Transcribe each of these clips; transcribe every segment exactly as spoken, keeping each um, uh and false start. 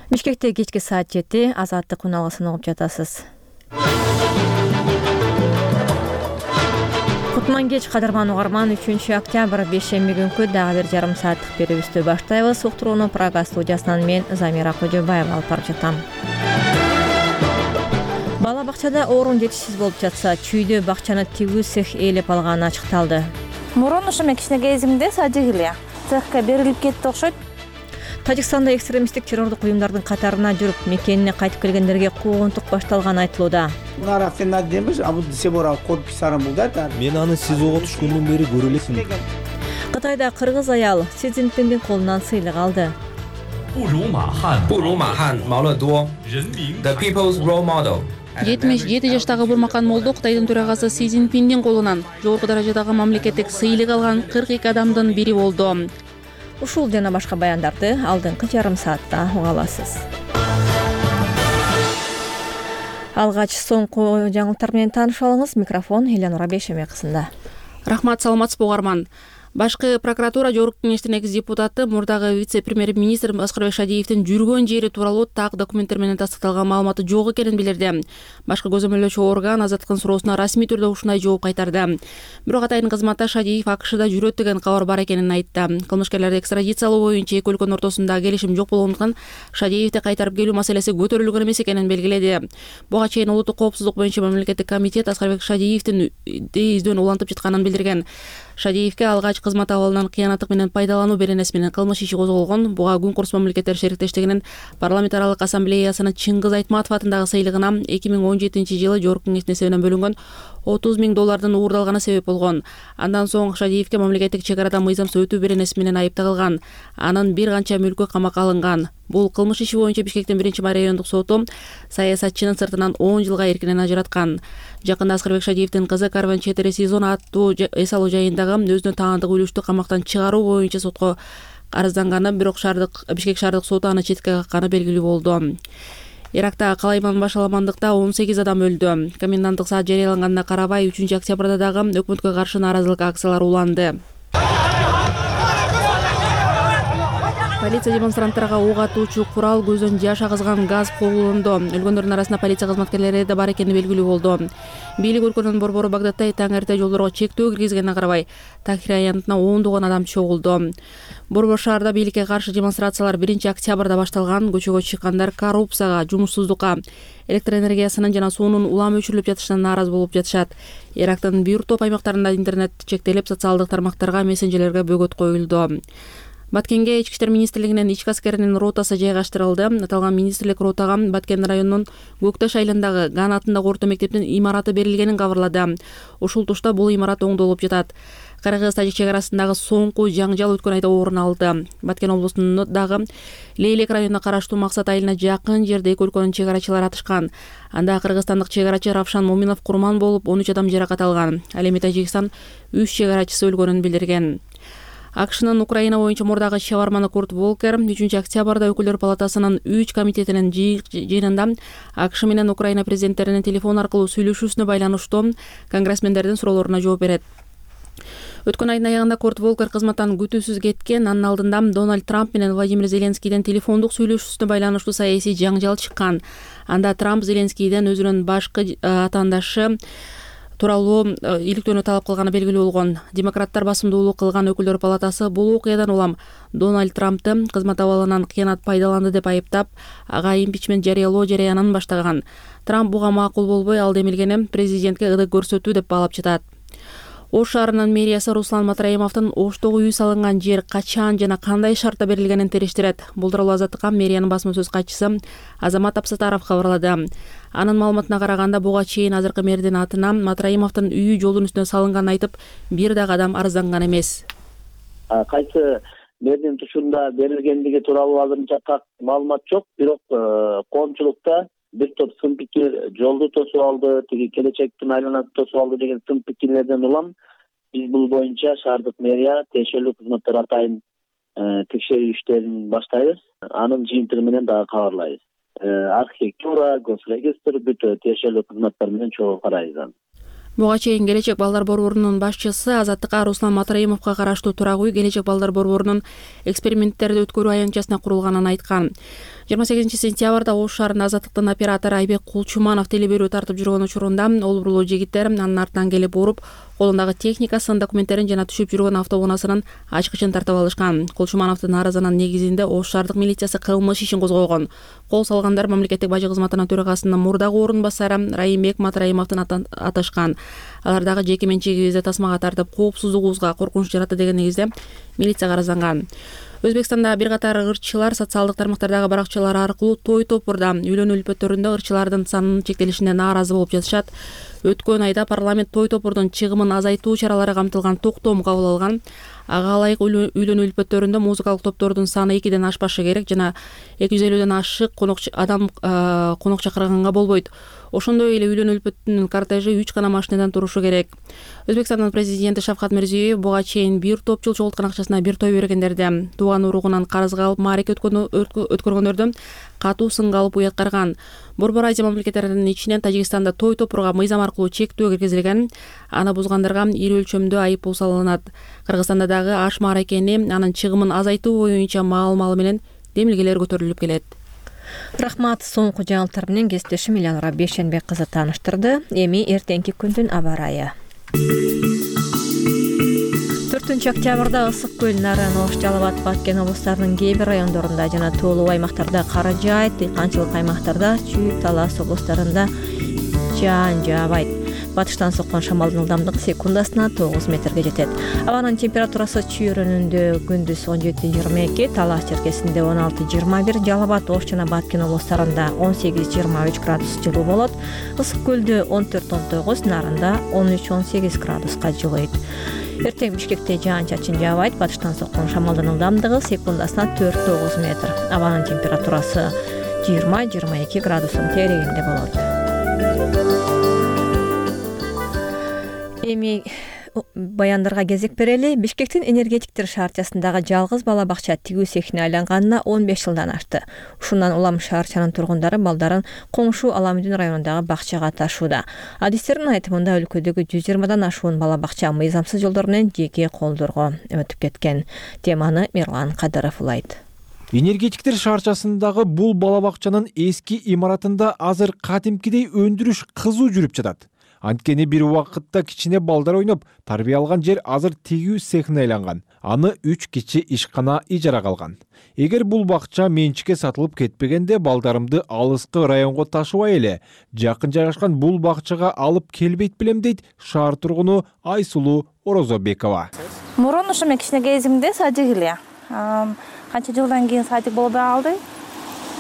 Бишкекте кечки саат жети, Азаттык уналгысын угуп жатасыз. Кутман кеч кадырман угарман, үчүнчү октябрь бейшемби күнкү дагы бир жарым сааттык берүүбүздү баштайбыз. Уктурууну Прага студиясынан мен Замира Кожобаева алып барып жатам. Бала бакчада орун жетишсиз болуп жатса, чүйдө бакчаны тигүү цех ээлеп алганы ачыкталды. Мурун ушул кичине кезимде садик эле цехке берилип кетти окшойт. Тажикстанда экстремисттик террордук уюмдардын катарына жүрүп, мекенине кайтып келгендерге куугунтук башталганы айтылууда. Мен аны СИЗОго түшкөндөн бери көрө элекмин. Кытайда кыргыз аял Си Цзиньпиндин колунан сыйлык алды. The People's Role Model. жетимиш жети жаштагы Бурмакан Молдо Кытайдын төрагасы Си Цзиньпиндин колунан жогорку даражадагы мамлекеттик сыйлык алган кырк эки адамдын бири болду. Ушул жана башка баяндарды алдыңкы жарым саатта уга аласыз. Алгач соңку жаңылыктар менен таанышып алыңыз. Микрофон Элянура Бейшемекызында. Рахмат, саламатсызбы угарман. Башкы прокуратура жогорку кеңештин экс депутаты мурдагы вице-премьер-министр Аскарбек Шадиевдин жүргөн жери тууралуу так документтер менен тастыкталган маалыматы жок экенин билдирди. Башкы көзөмөлдөөчү орган Азаттыктын суроосуна расмий түрдө ушундай жооп кайтарды. Бирок атайын кызматта Шадиев АКШда жүрөт деген кабар бар экенин айтты. Кылмышкерлерди экстрадициялоо боюнча эки өлкөнүн ортосунда келишим жок болгондуктан Шадиевди кайтарып келүү маселеси көтөрүлгөн эмес экенин белгиледи. Буга чейин улуттук коопсуздук боюнча мамлекеттик комитет Аскарбек Шадиевдин издөөнү улантып жатканын билдирген. Шадиевге алгач кызмат абалынан кыянаттык менен пайдалануу беренеси менен кылмыш иши козголгон. Буга Күн курс мамлекеттер шериктештигинин парламент аралык ассамблеясынын Чыңгыз Айтматов атындагы сыйлыгына эки миң он жетинчи жылы жогорку кеңештин эсебинен бөлүнгөн отуз миң доллардын уурдалганы себеп болгон. Андан соң Шадиевге мамлекеттик чек арада мыйзамсыз өтүү беренеси менен айып тагылган. Анын бир канча мүлкү камакка алынган. Бул кылмыш иши боюнча Бишкектин биринчи райондук соту саясатчынын сыртынан он жылга эркинен ажыраткан. Жакында Аскарбек Шадиевдин кызы Карван Четире Сезон аттуу эс алуу жайындагы өзүнө таандык үлүштү камактан чыгаруу боюнча сотко арызданганы, бирок шаардык Бишкек шаардык соту аны четке какканы белгилүү болду. Иракта калайман башаламандыкта он сегиз адам өлдү. Коменданттык саат жарыяланганына карабай үчүнчү октябрда дагы өкмөткө каршы нааразылык акциялары уланды. Полиция демонстранттарга ок атуучу курал, көздөн жаш агызган газ колдонду. Өлгөндөрдүн арасында полиция кызматкерлери да бар экени белгилүү болду. Бийлик өлкөнүн борбору Багдадта таңерте жолдорго чектөө киргизгенине карабай, Тахир аянтына ондогон адам чогулду. Борбор шаарда бийликке каршы демонстрациялар биринчи октябрда башталган. Көчөгө чыккандар коррупцияга, жумушсуздукка, электр энергиясынын жана суунун улам өчүрүлүп жатышына нааразы болуп жатышат. Ирактын бир топ аймактарында интернет чектелип, социалдык тармактарга, мессенжерлерге бөгөт коюлду. Баткенге Ички иштер министрлигинин ички аскеринин ротасы жайгаштырылды. Аталган министрлик ротага Баткен районунун Көкташ айылындагы Ган атындагы орто мектептин имараты берилгенин кабарлады. Ушул тушта бул имарат оңдолуп жатат. Кыргыз-тажик чек арасындагы соңку жаңжал өткөн айда орун алды. Баткен облусундагы Лейлек районуна караштуу Максат айылына жакын жерде эки өлкөнүн чек арачылары атышкан. Анда кыргызстандык чек арачы Равшан Моминов курман болуп, он үч адам жаракат алган. Ал эми Тажикстан үч чек арачысы өлгөнүн билдирген. АКШнын Украина боюнча мурдагы шеварманы Курт Волкер үчүнчү октябрда өкүлдөр палатасынын үч комитетинин жыйынында АКШ менен Украина президенттеринин телефон аркылуу сүйлөшүүсүнө байланыштуу конгрессмендердин суроолоруна жооп берет. Өткөн айдын аягында Курт Волкер кызматтан күтүүсүз кеткен. Анын алдында Дональд Трамп менен Владимир Зеленскийден телефондук сүйлөшүүсүнө байланыштуу саясий жаңжал чыккан. Анда Трамп Зеленскийден өзүнүн башкы атаандашы тууралуу иликтөөнү талап кылганы белгилүү болгон. Демократтар басымдуулук кылган өкүлдөр палатасы бул окуядан улам Дональд Трампты кызмат абалынан кыянат пайдаланды деп айыптап, ага импичмент жарыялоо жарыянын баштаган. Трамп буга макул болбой, ал демилгени президентке ылдык көрсөтүү деп баалап жатат. Ош шаарынын мэриясы Руслан Матраимовдун Оштогу үй салынган жер качан жана кандай шартта берилгенин териштирет. Бул тууралуу Азаттыкка мэриянын басма сөз катчысы Азамат Апсатаров кабарлады. Анын маалыматына караганда, буга чейин азыркы мэрдин атына Матраимовдун үйү жолдун үстүнө салынганын айтып, бир дагы адам арызданган эмес. Кайсы мэрдин тушунда берилгендиги тууралуу азырынча так маалымат жок, бирок коомчулукта бир топ сын пикир жолду тосуп алды, тиги келечектин айланасы тосуп алды деген сын пикирлерден улам биз бул боюнча шаардык мэрия тиешелүү кызматтар атайын текшерүү иштерин баштайбыз. Анын жыйынтыгы менен дагы кабарлайбыз. Архитектура, госрегистр бүт тиешелүү кызматтар менен чогуу карайбыз. Буга чейин Келечек балдар борборунун башчысы Азаттыкка Руслан Матраимовго караштуу турак үй Келечек балдар борборунун эксперименттерди өткөрүү аянтчасына курулганын айткан. жыйырма сегизинчи сентябрда Ош шаарынын Азаттыктын оператору Айбек Кулчуманов телеберүү тартып жүргөн учурунда олбурлуу жигиттер анын артынан келип уруп, колундагы техникасын, документтерин жана түшүп жүргөн автоунаасынын ачкычын тартып алышкан. Кулчумановдун арызынын негизинде Ош шаардык милициясы кылмыш ишин козгогон. Кол салгандар мамлекеттик бажы кызматынын төрагасынын мурдагы орун басары Райымбек Матраимовдун аташкан. Алар дагы жеке менчигибизди тасмага тартып, коопсуздугубузга коркунуч жаратты деген негизде милицияга арызланган. Өзбекстанда бир катар ырчылар социалдык тармактардагы баракчалар аркылуу той топурда үйлөнүү үлпөттөрүндө ырчылардын санынын чектелишине нааразы болуп жатышат. Өткөн айда парламент той топурдун чыгымын азайтуу чаралары камтылган токтом кабыл алган. Ага ылайык үйлөнүү үлпөттөрүндө музыкалык топтордун саны экиден ашпашы керек жана эки жүз элүүдөн ашык конок адам конок чакырганга болбойт. Ошондой эле үйлөнүү үлпөттүнүн кортежи үч гана машинадан турушу керек. Өзбекстандын президенти Шавкат Мирзиёев буга чейин бир топ жыл чогулткан акчасына бир той бергендерди тууган уругунан карызга алып маареке өткөргөндөрдү катуу сынга алып уяткарган. Борбор Азия мамлекеттеринин ичинен Тажикстанда той топурга мыйзам аркылуу чектөө киргизилген. Аны бузгандырга ири өлчөмдө айыппул салынат. Кыргызстанда дагы аш мааракени анын чыгымын азайтуу боюнча маал-мал менен демилгелер көтөрүлүп келет. Рахмат, соңку жаңылыктар менен кесиптешим Иланура Бейшенбек кызы тааныштырды. Эми эртеңки күндүн аба ырайы. төртүнчү октябрда Ысык көл, Нарын, Ош, Жалал Абад, Баткен облустарынын кээ бир райондорунда жана тоолуу аймактарда кар жаайт, дыйканчылык аймактарда Чүй, Талас облустарында жаан жаабайт. Батыштан соккон шамалдын ылдамдыгы секундасына тогуз метрге жетет. Абанын температурасы Чүй районунда күндүз он жети жыйырма эки, Талас черкесинде он алты жыйырма бир, Жалал Абад, Ош жана Баткен облустарында он сегиз жыйырма үч градус жылуу болот. Ысык көлдө он төрт он тогуз, Нарында он үч он сегиз градуска жылыйт. Эртең Бишкекте жаан-чачын жаабайт. Батыштан соккон шамалдын ылдамдыгы секундасына төрт тогуз метр. Абанын температурасы жыйырма жыйырма эки градустун терегинде болот. Эми баяндарга кезек берели. Бишкектин энергетиктер шаарчасындагы жалгыз бала бакча тигүү цехине айланганына он беш жылдан ашты. Ушундан улам шаарчанын тургундары балдарын коңшу Аламүдүн районундагы бакчага ташууда. Адистердин айтымында өлкөдөгү жүз жыйырмадан ашуун бала бакча мыйзамсыз жолдор менен жеке колдорго өтүп кеткен. Теманы Мирлан Кадыров улайт. Энергетиктер шаарчасындагы бул бала бакчанын эски имаратында азыр кадимкидей өндүрүш кызуу жүрүп жатат. Анткени бир убакытта кичине балдар ойноп тарбия алган жер азыр тигүү цехине айланган. Аны үч кичи ишкана ижарага алган. Эгер бул бакча менчикке сатылып кетпегенде балдарымды алыскы районго ташыбай эле жакын жайгашкан бул бакчага алып келбейт белем дейт шаар тургуну Айсулуу Орозобекова. Мурун ушу мен кичине кезимде садик эле. Канча жылдан кийин садик болбой калды.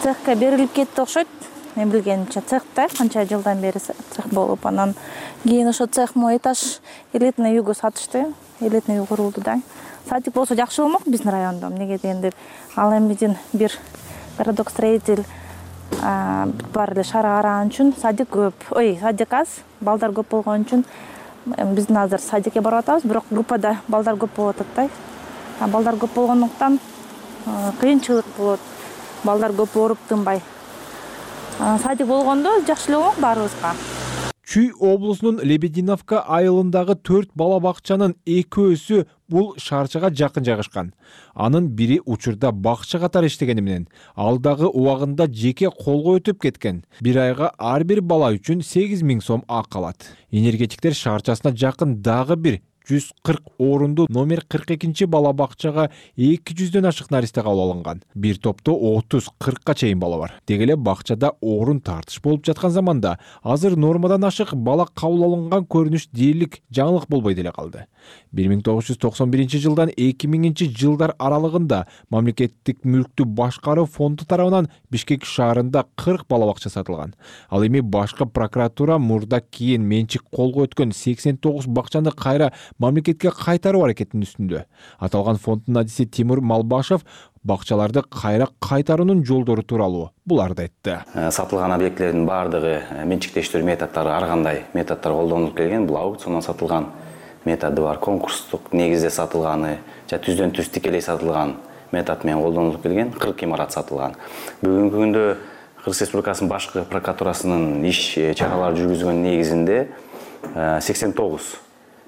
Цехке берилип кетти окшойт. Мен билгенимче цехте канча жылдан бери цех болуп, анан кийин ошо цех мо этаж элитный үйгө сатышты. Элитный үй курулду да. Садик болсо жакшы болмок биздин райондо. Эмнеге дегенде ал эмидин бир городок строитель бар эле шаар караган үчүн садик көп. Ой, садик аз, балдар көп болгон үчүн биздин азыр садикке барып атабыз, бирок группада балдар көп болуп атат да. А балдар көп болгондуктан кыйынчылык болот. Балдар көп ооруп тынбай. Садик болгондо жакшы эле болмок баарыбызга. Чүй облусунун Лебединовка айылындагы төрт бала бакчанын экөөсү бул шаарчага жакын жайгашкан. Анын бири учурда бакча катары иштегени менен ал дагы убагында жеке колго өтүп кеткен. Бир айга ар бир бала үчүн сегиз миң сом ак алат. Энергетиктер шаарчасына жакын дагы бир жүз кырк орунду номер кырк экинчи бала бакчага эки жүздөн ашык наристе кабыл алынган. Бир топто отуз кыркка чейин бала бар. Деги эле бакчада орун тартыш болуп жаткан заманда азыр нормадан ашык бала кабыл алынган көрүнүш дээрлик жаңылык болбой деле калды. бир миң тогуз жүз токсон биринчи жылдан эки миңинчи жылдар аралыгында мамлекеттик мүлктү башкаруу фонду тарабынан Бишкек шаарында кырк бала бакча сатылган. Ал эми башкы прокуратура мурда кийин менчик колго өткөн сексен тогуз бакчаны кайра мамлекетке кайтаруу аракетинин үстүндө. Аталган фонддун адиси Тимур Малбашев бакчаларды кайра кайтаруунун жолдору тууралуу буларды айтты. Сатылган объектлердин баардыгы менчиктештирүү методдору ар кандай методдор колдонулуп келген. Бул аукциондон сатылган методу бар, конкурстук негизде сатылганы, жана түздөн түз тикелей сатылган метод менен колдонулуп келген. кырк имарат сатылган. Бүгүнкү күндө Кыргыз Республикасынын башкы прокуратурасынын иш чаралары жүргүзгөн негизинде сексен тогуз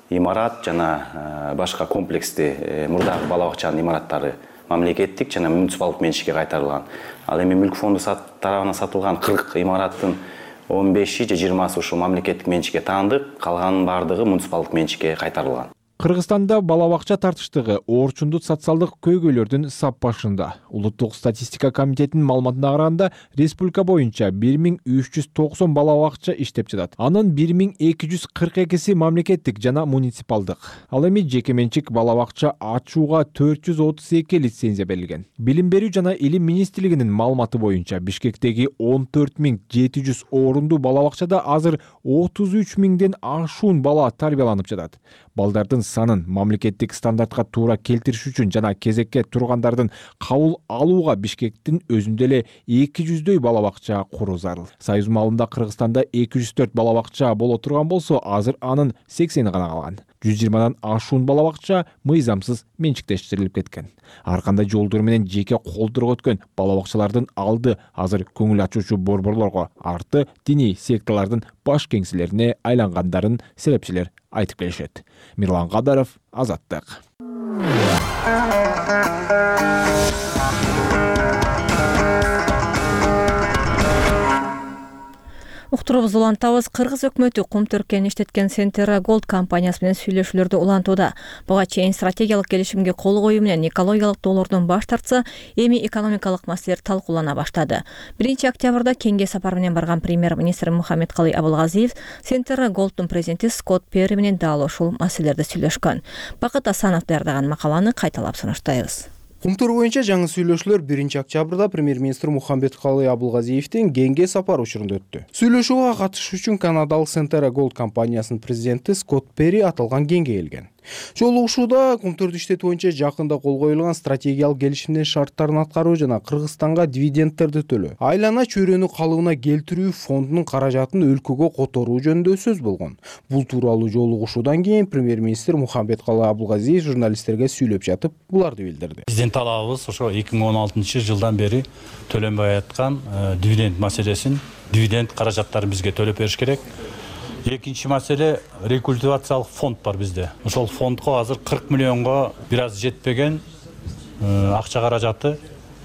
имарат жана башка комплексти мурдагы бала бакчанын имараттары мамлекеттик жана муниципалдык менчикке кайтарылган. Ал эми мүлк фонду тарабынан сатылган кырк имараттын он беши же жыйырмасы ушул мамлекеттик менчикке таандык, калганын бардыгы муниципалдык менчикке кайтарылган. Кыргызстанда бала бакча тартыштыгы орчундут социалдык көйгөйлөрдүн сап башында. Улуттук статистика комитетинин маалыматына караганда, республика боюнча бир миң үч жүз токсон бала бакча иштеп жатат. Анын бир миң эки жүз кырк экиси мамлекеттик жана муниципалдык. Ал эми жеке менчик бала бакча ачууга төрт жүз отуз эки лицензия берилген. Билим берүү жана илим министрлигинин маалыматы боюнча Бишкектеги он төрт миң жети жүз орунду бала бакчада азыр отуз үч миңден ашуун бала тарбияланып жатат. Балдардын санын мамлекеттик стандартка туура келтириш үчүн жана кезекке тургандардын кабыл алууга Бишкектин өзүндө эле эки жүздөй бала бакча куруу зарыл. Союз маалында Кыргызстанда эки жүз төрт бала бакча боло турган болсо, азыр анын сексени гана калган. жүз жыйырмадан ашуун бала бакча мыйзамсыз менчиктештирилип кеткен. Ар кандай жолдор менен жеке колдорго өткөн бала бакчалардын алды азыр көңүл ачуучу борборлорго, арты диний секталардын баш кеңселерине айлангандарын себепчилер айтып келишет. Мирлан Кадаров, Азаттык. Уктурубузду улантабыз. Кыргыз өкмөтү кум төркөөнү иштеткен Centera Gold компаниясы менен сүйлөшүүлөрдү улантууда. Буга чейин стратегиялык келишимге кол коюу менен экологиялык доолордон баш тартса, эми экономикалык маселелер талкуулана баштады. биринчи октябрда кеңге сапар менен барган премьер-министр Мухаммедкалый Абылгазиев Centera Gold'ун президенти Скотт Перри менен дал ушул маселелерди сүйлөшкөн. Бакыт Асанов даярдаган макаланы кайталап сунуштайбыз. Кумтур боюнча жаңы сүйлөшүүлөр биринчи октябрда премьер-министр Мухаммедкалый Абылгазиевдин кеңге сапар учурунда өттү. Сүйлөшүүгө катышуу үчүн Канадалык Centera Gold компаниясынын президенти Скотт Перри аталган кеңге келген. Жолугушууда кумтурду иштетүү боюнча жакында кол коюлган стратегиялык келишимдин шарттарын аткаруу жана Кыргызстанга дивидендтерди төлөө, айлана чөйрөнү калыбына келтирүү фондунун каражатын өлкөгө которуу жөнүндө сөз болгон. Бул тууралуу жолугушуудан кийин премьер-министр Мухаммедкалый Абылгазиев журналисттерге сүйлөп жатып буларды билдирди. Биздин талабыбыз ошо эки миң он алтынчы жылдан бери төлөнбөй аткан дивиденд маселесин, дивиденд каражаттарын бизге төлөп бериш керек. Экинчи маселе, рекультивациялык фонд бар бизде. Ошол фондко азыр кырк миллионго бир аз жетпеген акча каражаты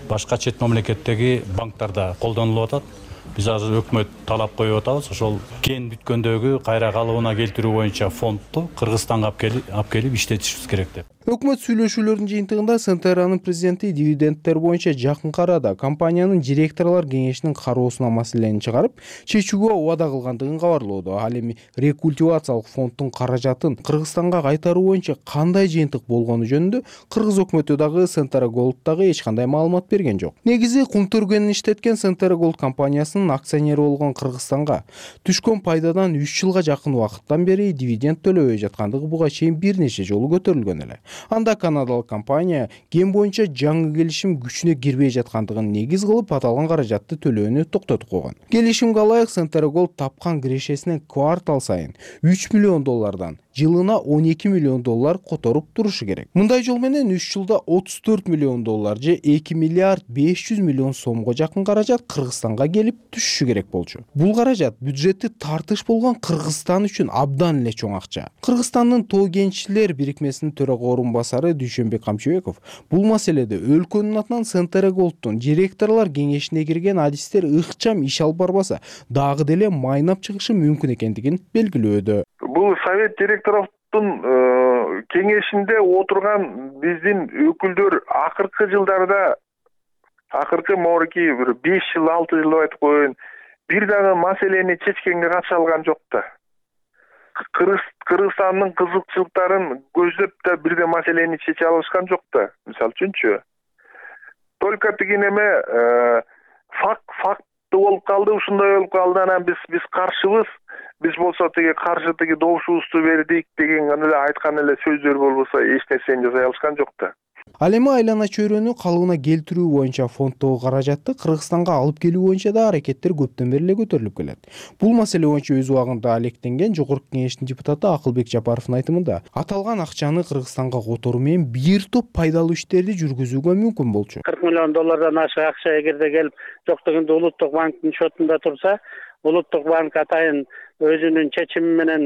башка чет мамлекеттеги банктарда колдонулуп атат. Биз азыр өкмөт талап коюп атабыз. Ошол кен бүткөндөгү кайра калыбына келтирүү боюнча фондду Кыргызстанга алып келип иштетишибиз керек деп. Өкмөт сүйлөшүүлөрдүн жыйынтыгында Centera'нын президенти дивидендтер боюнча жакынкы арада компаниянын директорлор кеңешинин кароосуна маселени чыгарып, чечүүгө убада кылгандыгын кабарлоодо. Ал эми рекультивациялык фонддун каражатын Кыргызстанга кайтаруу боюнча кандай жыйынтык болгону жөнүндө Кыргыз өкмөтү дагы Centera Gold'дагы эч кандай маалымат берген жок. Негизи кум төркөөнүн иштеткен Centera Gold компаниясынын акционери болгон Кыргызстанга түшкөн пайдадан үч жылга жакын убакыттан бери дивиденд төлөбөй жаткандыгы буга чейин бир нече жолу көтөрүлгөн эле. Анда канадалык компания кен боюнча жаңы келишим күчүнө кирбей жаткандыгын негиз кылып аталган каражатты төлөөнү токтотуп койгон. Келишимге ылайык Centera Gold тапкан кирешесинен квартал сайын үч миллион доллардан жылына он эки миллион доллар которуп турушу керек. Мындай жол менен үч жылда отуз төрт миллион доллар же эки миллиард беш жүз миллион сомго жакын каражат Кыргызстанга келип түшүшү керек болчу. Бул каражат бюджетти тартыш болгон Кыргызстан үчүн абдан эле чоң акча. Кыргызстандын Тоо кенчилер бирикмесинин төрага орунбасары Дүйшөнбек Камчыбеков бул маселеде өлкөнүн атынан Centera Gold'тун директорлор кеңешине кирген адистер ыкчам иш алып барбаса, дагы деле майнап чыгышы мүмкүн экендигин белгилөөдө. Бул совет директорлордун кеңешинде отурган биздин өкүлдөр акыркы жылдарда, акыркы морки бир беш жыл, алты жыл айтып коеюн, бир дагы маселени чечкенге катыша алган жок да. Кыргызстандын кызыкчылыктарын көздөп да бир да маселени чече алышкан жок да. Мисалы үчүнчү, только тиги неме факт факты болуп калды, ушундай болуп калды, анан биз биз каршыбыз. Биз болсо тиги каршы тиги добушубузду бердик деген эле айткан эле сөздөр болбосо эч нерсени жасай алышкан жок да. Ал эми айлана чөйрөнү калыбына келтирүү боюнча фонддогу каражатты Кыргызстанга алып келүү боюнча да аракеттер көптөн бери эле көтөрүлүп келет. Бул маселе боюнча өз убагында алектенген Жогорку Кеңештин депутаты Акылбек Жапаровдун айтымында, аталган акчаны Кыргызстанга которуу менен бир топ пайдалуу иштерди жүргүзүүгө мүмкүн болчу. кырк миллион доллардан ашык акча эгерде келип жок дегенде улуттук банктын счетунда турса, улуттук банк атайын өзүнүн чечими менен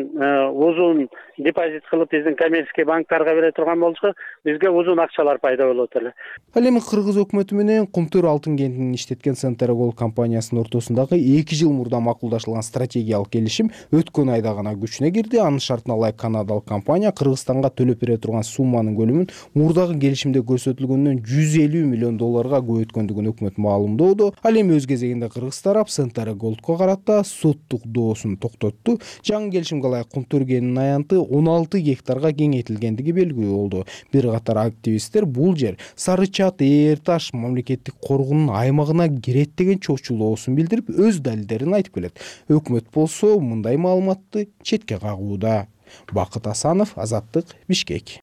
узун депозит кылып биздин коммерческий банктарга бере турган болчу, бизге узун акчалар пайда болот эле. Ал эми кыргыз өкмөтү менен Кумтөр алтын кентин иштеткен Центр Gold компаниясынын ортосундагы эки жыл мурда макулдашылган стратегиялык келишим өткөн айда гана күчүнө кирди. Анын шартына ылайык канадалык компания Кыргызстанга төлөп бере турган сумманын көлөмүн мурдагы келишимде көрсөтүлгөндөн жүз элүү миллион долларга көбөйткөндүгүн өкмөт маалымдоодо. Ал эми өз кезегинде кыргыз тарап Центр Goldко карата соттук доосун токтотту. Жаңы келишимге ылайык Кумтөр кенинин аянты он алты гектарга кеңейтилгендиги белгилүү болду. Бир катар активисттер бул жер Сарычат Эр Таш мамлекеттик коргоонун аймагына кирет деген чочулоосун билдирип, өз далилдерин айтып келет. Өкмөт болсо мындай маалыматты четке кагууда. Бакыт Асанов, Азаттык, Бишкек.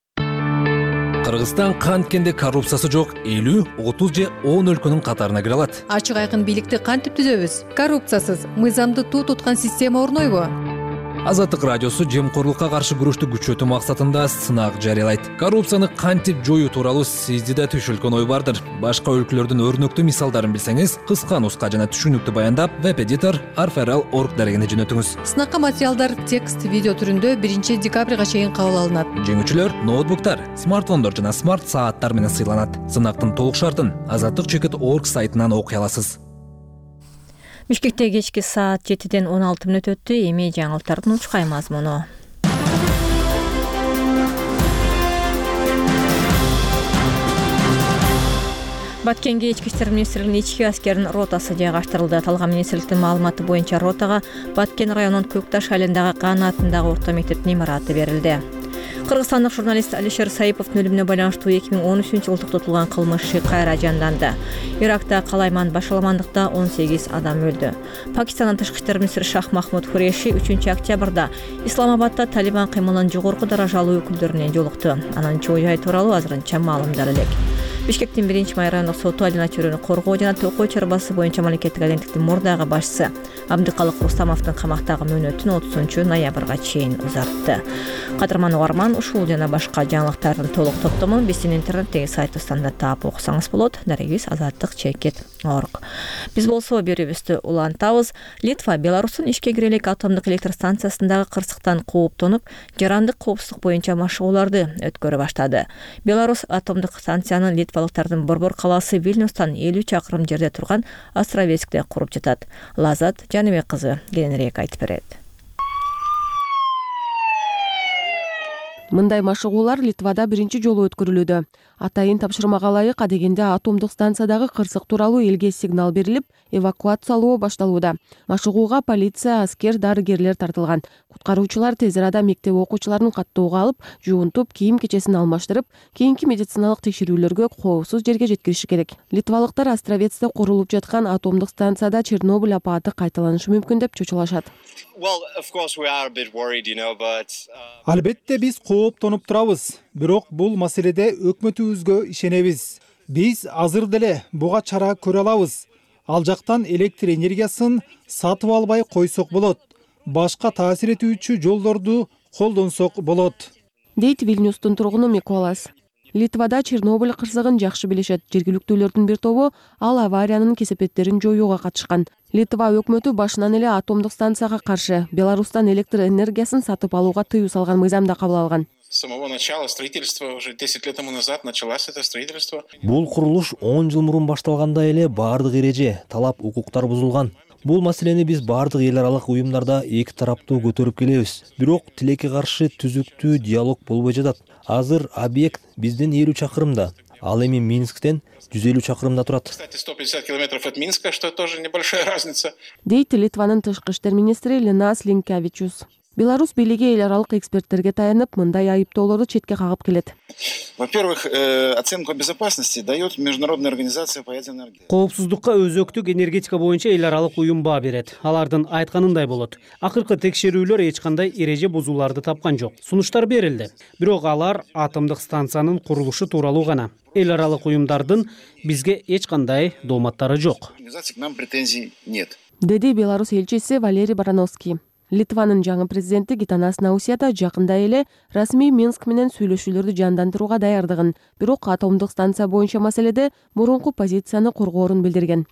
Кыргызстан канткенде коррупциясы жок элүү, отуз же он өлкөнүн катарына кире алат. Ачык айкын бийликти кантип түзөбүз? Коррупциясыз мыйзамды туу туткан система орнойбу? Азаттык радиосу жемкорлукка каршы күрөштү күчөтүү максатында сынак жарыялайт. Коррупцияны кантип жоюу тууралуу сизди да түшүлгөн ой бардыр. Башка өлкөлөрдүн өрнөктүү мисалдарын билсеңиз, кыска нуска жана түшүнүктүү баяндап веб-эдитор арферал точка орг дарегине жөнөтүңүз. Сынакка материалдар текст, видео түрүндө биринчи декабрга чейин кабыл алынат. Жеңүүчүлөр ноутбуктар, смартфондор жана смарт сааттар менен сыйланат. Сынактын толук шартын азаттык точка орг сайтынан окуй аласыз. Бишкекте кечки саат жетиден он алты мүнөт өттү. Эми жаңылыктардын учкай мазмуну. Баткенге ички иштер министрлигинин ички аскеринин ротасы жайгаштырылды. Аталган министрликтин маалыматы боюнча ротага Баткен районунун Көкташ айылындагы Кана атындагы орто мектептин имараты берилди. Кыргызстандык журналист Алишер Саиповдун өлүмүнө байланыштуу эки миң он үчүнчү жылы токтотулган кылмыш кайра жанданды. Иракта калайман башаламандыкта он сегиз адам өлдү. Пакистандын тышкы иштер министри Шах Махмуд Хуреши үчүнчү октябрда Исламабадда Талибан кыймылынын жогорку даражалуу өкүлдөрүнө жолукту. Анын чоо жай тууралуу азырынча маалымдар элек. Бишкектин биринчи май райондук соту Алина Чөрөнү коргоо жана токой чарбасы боюнча мамлекеттик агенттиктин мурдагы башчысы Абдыкалык Рустамовдун камактагы мөөнөтүн отузунчу ноябрга чейин узартты. Кадырман угарман, ушул жана башка жаңылыктардын толук топтомун биздин интернеттеги сайтыбыздан да таап окусаңыз болот. Дарегибиз азаттык точка орг. Биз болсо берүүбүздү улантабыз. Литва Беларустун ишке кире элек атомдук электр станциясындагы кырсыктан кооптонуп, жарандык коопсуздук боюнча машыгууларды өткөрө баштады. Беларус атомдук станциянын литвалыктардын Борбор калаасы Вильнюстан элүү чакырым жерде турган Островецкте куруп жатат. Лазат Жаныбек кызы кененирээк айтып берет. Мындай машыгуулар Литвада биринчи жолу өткөрүлүүдө. Атайын тапшырмага ылайык адегенде атомдук станциядагы кырсык тууралуу элге сигнал берилип, эвакуациялоо башталууда. Машыгууга полиция, аскер, дарыгерлер тартылган. Куткаруучулар тез арада мектеп окуучуларын каттоого алып, жуунтуп, кийим-кечесин алмаштырып, кийинки медициналык текшерүүлөргө коопсуз жерге жеткириши керек. Литвалыктар Островецте курулуп жаткан атомдук станцияда Чернобыль апааты кайталанышы мүмкүн деп чочулашат. Албетте биз кооптонуп турабыз, бирок бул маселеде өкмөтүбүзгө ишенебиз. Биз азыр деле буга чара көрө алабыз. Ал жактан электр энергиясын сатып албай койсок болот. Башка таасир этүүчү жолдорду колдонсок болот. Дейт Вильнюстун тургуну Миколас. Литвада Чернобыль кырсыгын жакшы билишет. Жергиликтүүлөрдүн бир тобу ал авариянын кесепеттерин жоюуга катышкан. Литва өкмөтү башынан эле атомдук станцияга каршы Беларустан электр энергиясын сатып алууга тыюу салган мыйзамды кабыл алган. С самого начала строительства уже десять лет тому назад началось это строительство. Бул курулуш он жыл мурун башталганда эле баардык эреже, талап, укуктар бузулган. Бул маселени биз баардык эл аралык уюмдарда эки тараптуу көтөрүп келебиз. Бирок тилекке каршы түзүктүү диалог болбой жатат. Азыр объект бизден элүү чакырымда, ал эми Минсктен жүз элүү чакырымда турат. Кстати, сто пятьдесят километров от Минска, что тоже небольшая разница. Дейт Литванын тышкы иштер министри Линас Линкевичус. Беларусь бийлиги эл аралык эксперттерге таянып, мындай айыптоолорду четке кагып келет. Во-первых, оценку безопасности дает Международная организация по ядерной энергии. Коопсуздукка өзөктүк энергетика боюнча эл аралык уюм баа берет. Алардын айтканындай болот. Акыркы текшерүүлөр эч кандай эреже бузууларды тапкан жок. Сунуштар берилди. Бирок алар атомдук станциянын курулушу тууралуу гана. Эл аралык уюмдардын бизге эч кандай дооматтары жок. К нам претензий нет. Деди Беларусь элчиси Валерий Барановский. Литванын жаңы президенти Гитанас Наусяда жакында эле расмий Минск менен сүйлөшүүлөрдү жандандырууга даярдыгын, бирок атомдук станция боюнча маселеде мурунку позицияны коргоорун билдирген.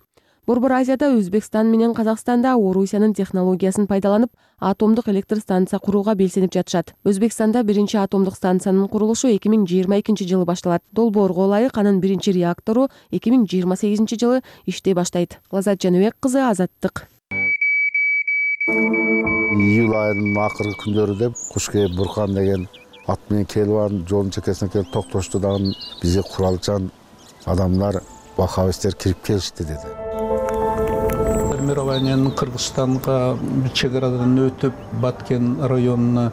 Борбор Азияда Өзбекстан менен Казакстанда Орусиянын технологиясын пайдаланып атомдук электр станция курууга белсенип жатышат. Өзбекстанда биринчи атомдук станциянын курулушу эки миң жыйырма экинчи жылы башталат. Долбоорго ылайык анын биринчи реактору эки миң жыйырма сегизинчи жылы иштей баштайт. Лазат Жаныбек кызы, Азаттык. Июль айынын акыркы күндөрү деп куш кээп буркан деген ат менен келип анын жолдун чекесине келип токтошту дагы бизге куралчан адамдар бахабистер кирип келишти деди. Формированиянын Кыргызстанга чек арадан өтүп Баткен районуна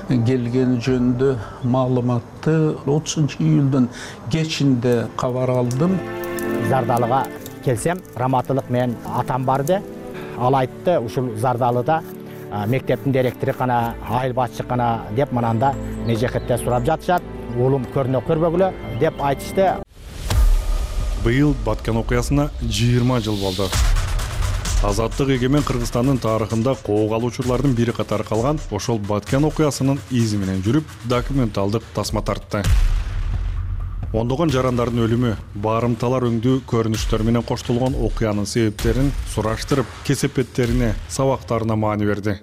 келгени жөнүндө маалыматты отузунчу июлдун кечинде кабар алдым. Зардалыга келсем, раматылык менен атам барды. Ал айтты, ушул Зардалыда мектептин директору кана, айыл башчы кана деп мананда межекетте сурап жатышат. Уулум көрүнө көрбөгүлө деп айтышты. Быйыл Баткен окуясына жыйырма жыл болду. Азаттык эгемен Кыргызстандын тарыхында коого алуучулардын бири катары калган ошол Баткен окуясынын изи менен жүрүп, документалдык тасма тартты. Ондогон жарандардын өлүмү, барымталар өңдүү көрүнүштөр менен коштолгон окуянын себептерин сураштырып, кесепеттерине, сабактарына маани берди.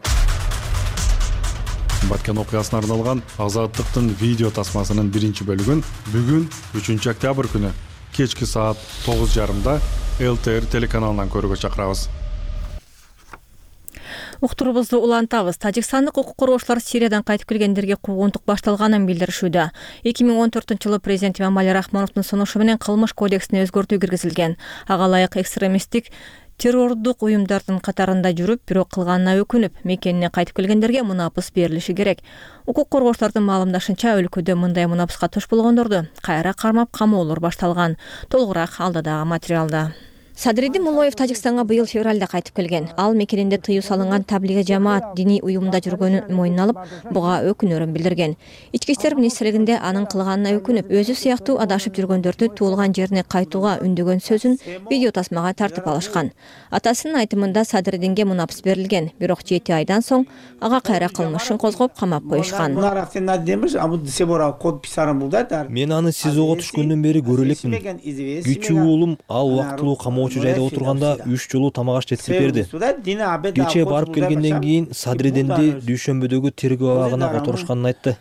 Баткен окуясына арналган Азаттыктын видео тасмасынын биринчи бөлүгүн бүгүн үчүнчү октябрь күнү кечки саат тогуз жарымда эл тэ эр телеканалынан көрүүгө чакырабыз. Уктурубузду улантабыз. Тажикстандык укук коргоочулар Сириядан кайтып келгендерге куугунтук башталганын билдиришүүдө. эки миң он төртүнчү жылы президент Эмомали Рахмоновдун сунушу менен кылмыш кодексине өзгөртүү киргизилген. Ага ылайык экстремисттик террордук уюмдардын катарында жүрүп, бирок кылганына өкүнүп, мекенине кайтып келгендерге мунапыс берилиши керек. Укук коргоочулардын маалымдашынча, өлкөдө мындай мунапыска туш болгондорду кайра кармап камоолор башталган. Толугураак алдыдагы материалда. Садриддин Муллоев Тажикстанга быйыл февралда кайтып келген. Ал мекенинде тыюу салынган таблиги жамаат диний уюмда жүргөнүн мойнуна алып, буга өкүнөрүн билдирген. Ички иштер министрлигинде анын кылганына өкүнүп, өзү сыяктуу адашып жүргөндөрдү туулган жерине кайтууга үндөгөн сөзүн видео тасмага тартып алышкан. Атасынын айтымында Садриддинге мунапыс берилген, бирок жети айдан соң ага кайра кылмышын козгоп камап коюшкан. Мен аны СИЗОго түшкөндөн бери көрө элекмин. Кичүү уулум ал убактылуу камоо жайда отурганда үч жолу тамак аш жеткирип берди. Кечээ барып келгенден кийин Садриддинди дүйшөмбөдөгү тергөө абагына которушканын айтты.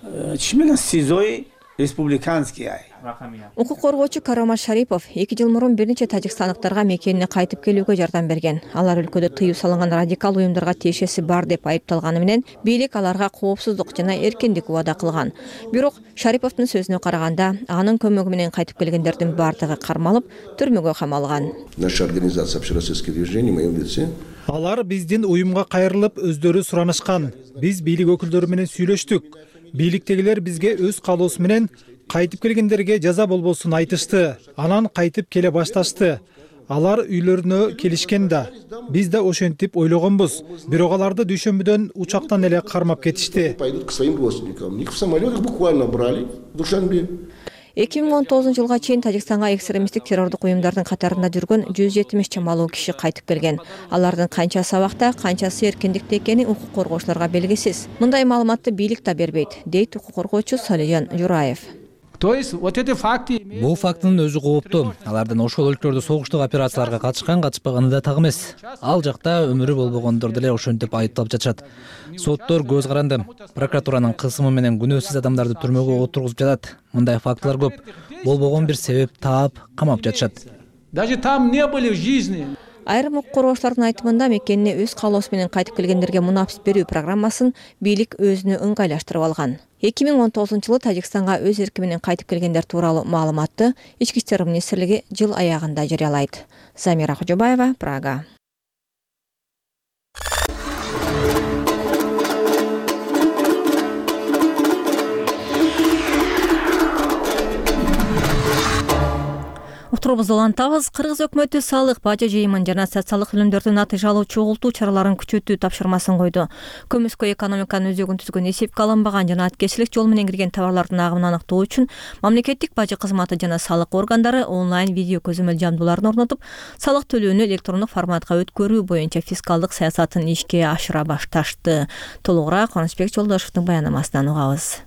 Укук коргоочу Карамат Шарипов эки жыл мурун бир нече тажикстандыктарга мекенине кайтып келүүгө жардам берген. Алар өлкөдө тыюу салынган радикал уюмдарга тиешеси бар деп айыпталганы менен бийлик аларга коопсуздук жана эркиндик убада кылган. Бирок Шариповдун сөзүнө караганда, анын көмөгү менен кайтып келгендердин бардыгы кармалып, түрмөгө камалган. Наша организация общероссийских движений, моем лице. Алар биздин уюмга кайрылып, өздөрү суранышкан. Биз бийлик өкүлдөрү менен сүйлөштүк. Бийликтегилер бизге өз каалоосу менен кайтып келгендерге жаза болбосун айтышты. Анан кайтып келе башташты. Алар үйлөрүнө келишкен да. Биз да ошентип ойлогонбуз. Бирок аларды дүйшөмбүдөн учактан эле кармап кетишти. Пойдут к своим родственникам. Их в самолетах буквально брали в Душанбе. эки миң он тогузунчу жылга чейин Тажикстанга экстремисттик террордук уюмдардын катарында жүргөн жүз жетимиш чамалуу киши кайтып келген. Алардын канчасы абакта, канчасы эркиндикте экени укук коргоочуларга белгисиз. Мындай маалыматты бийлик да бербейт, дейт укук коргоочу Салижан Жураев. Бул фактынын өзү кооптуу. Алардын ошол өлкөлөрдө согуштук операцияларга катышкан, катышпаганы да так эмес. Ал жакта өмүрү болбогондор деле ошентип айыпталып жатышат. Соттор көз каранды. Прокуратуранын кысымы менен күнөөсүз адамдарды түрмөгө отургузуп жатат. Мындай фактылар көп. Болбогон бир себеп таап, камап жатышат. Даже там не были в жизни. Айрым укук коргоочулардын айтымында мекенине өз каалоосу менен кайтып келгендерге мунапыс берүү программасын бийлик өзүнө ыңгайлаштырып алган. эки миң он тогузунчу жылы Тажикстанга өз эрки менен кайтып келгендер тууралуу маалыматты Ички иштер министрлиги жыл аягында жарыялайт. Замира Кожобаева, Прага. Уктурубузду улантабыз. Кыргыз өкмөтү салык, бажы жыйымын жана социалдык төлөмдөрдү натыйжалуу чогултуу чараларын күчөтүү тапшырмасын койду. Көмүскө экономиканын өзөгүн түзгөн эсепке алынбаган жана аткерчилик жол менен кирген товарлардын агымын аныктоо үчүн мамлекеттик бажы кызматы жана салык органдары онлайн видео көзөмөл жабдууларын орнотуп, салык төлөөнү электрондук форматка өткөрүү боюнча фискалдык саясатын ишке ашыра башташты. Толугураак Кубанычбек Жолдошевдун баянамасынан угабыз.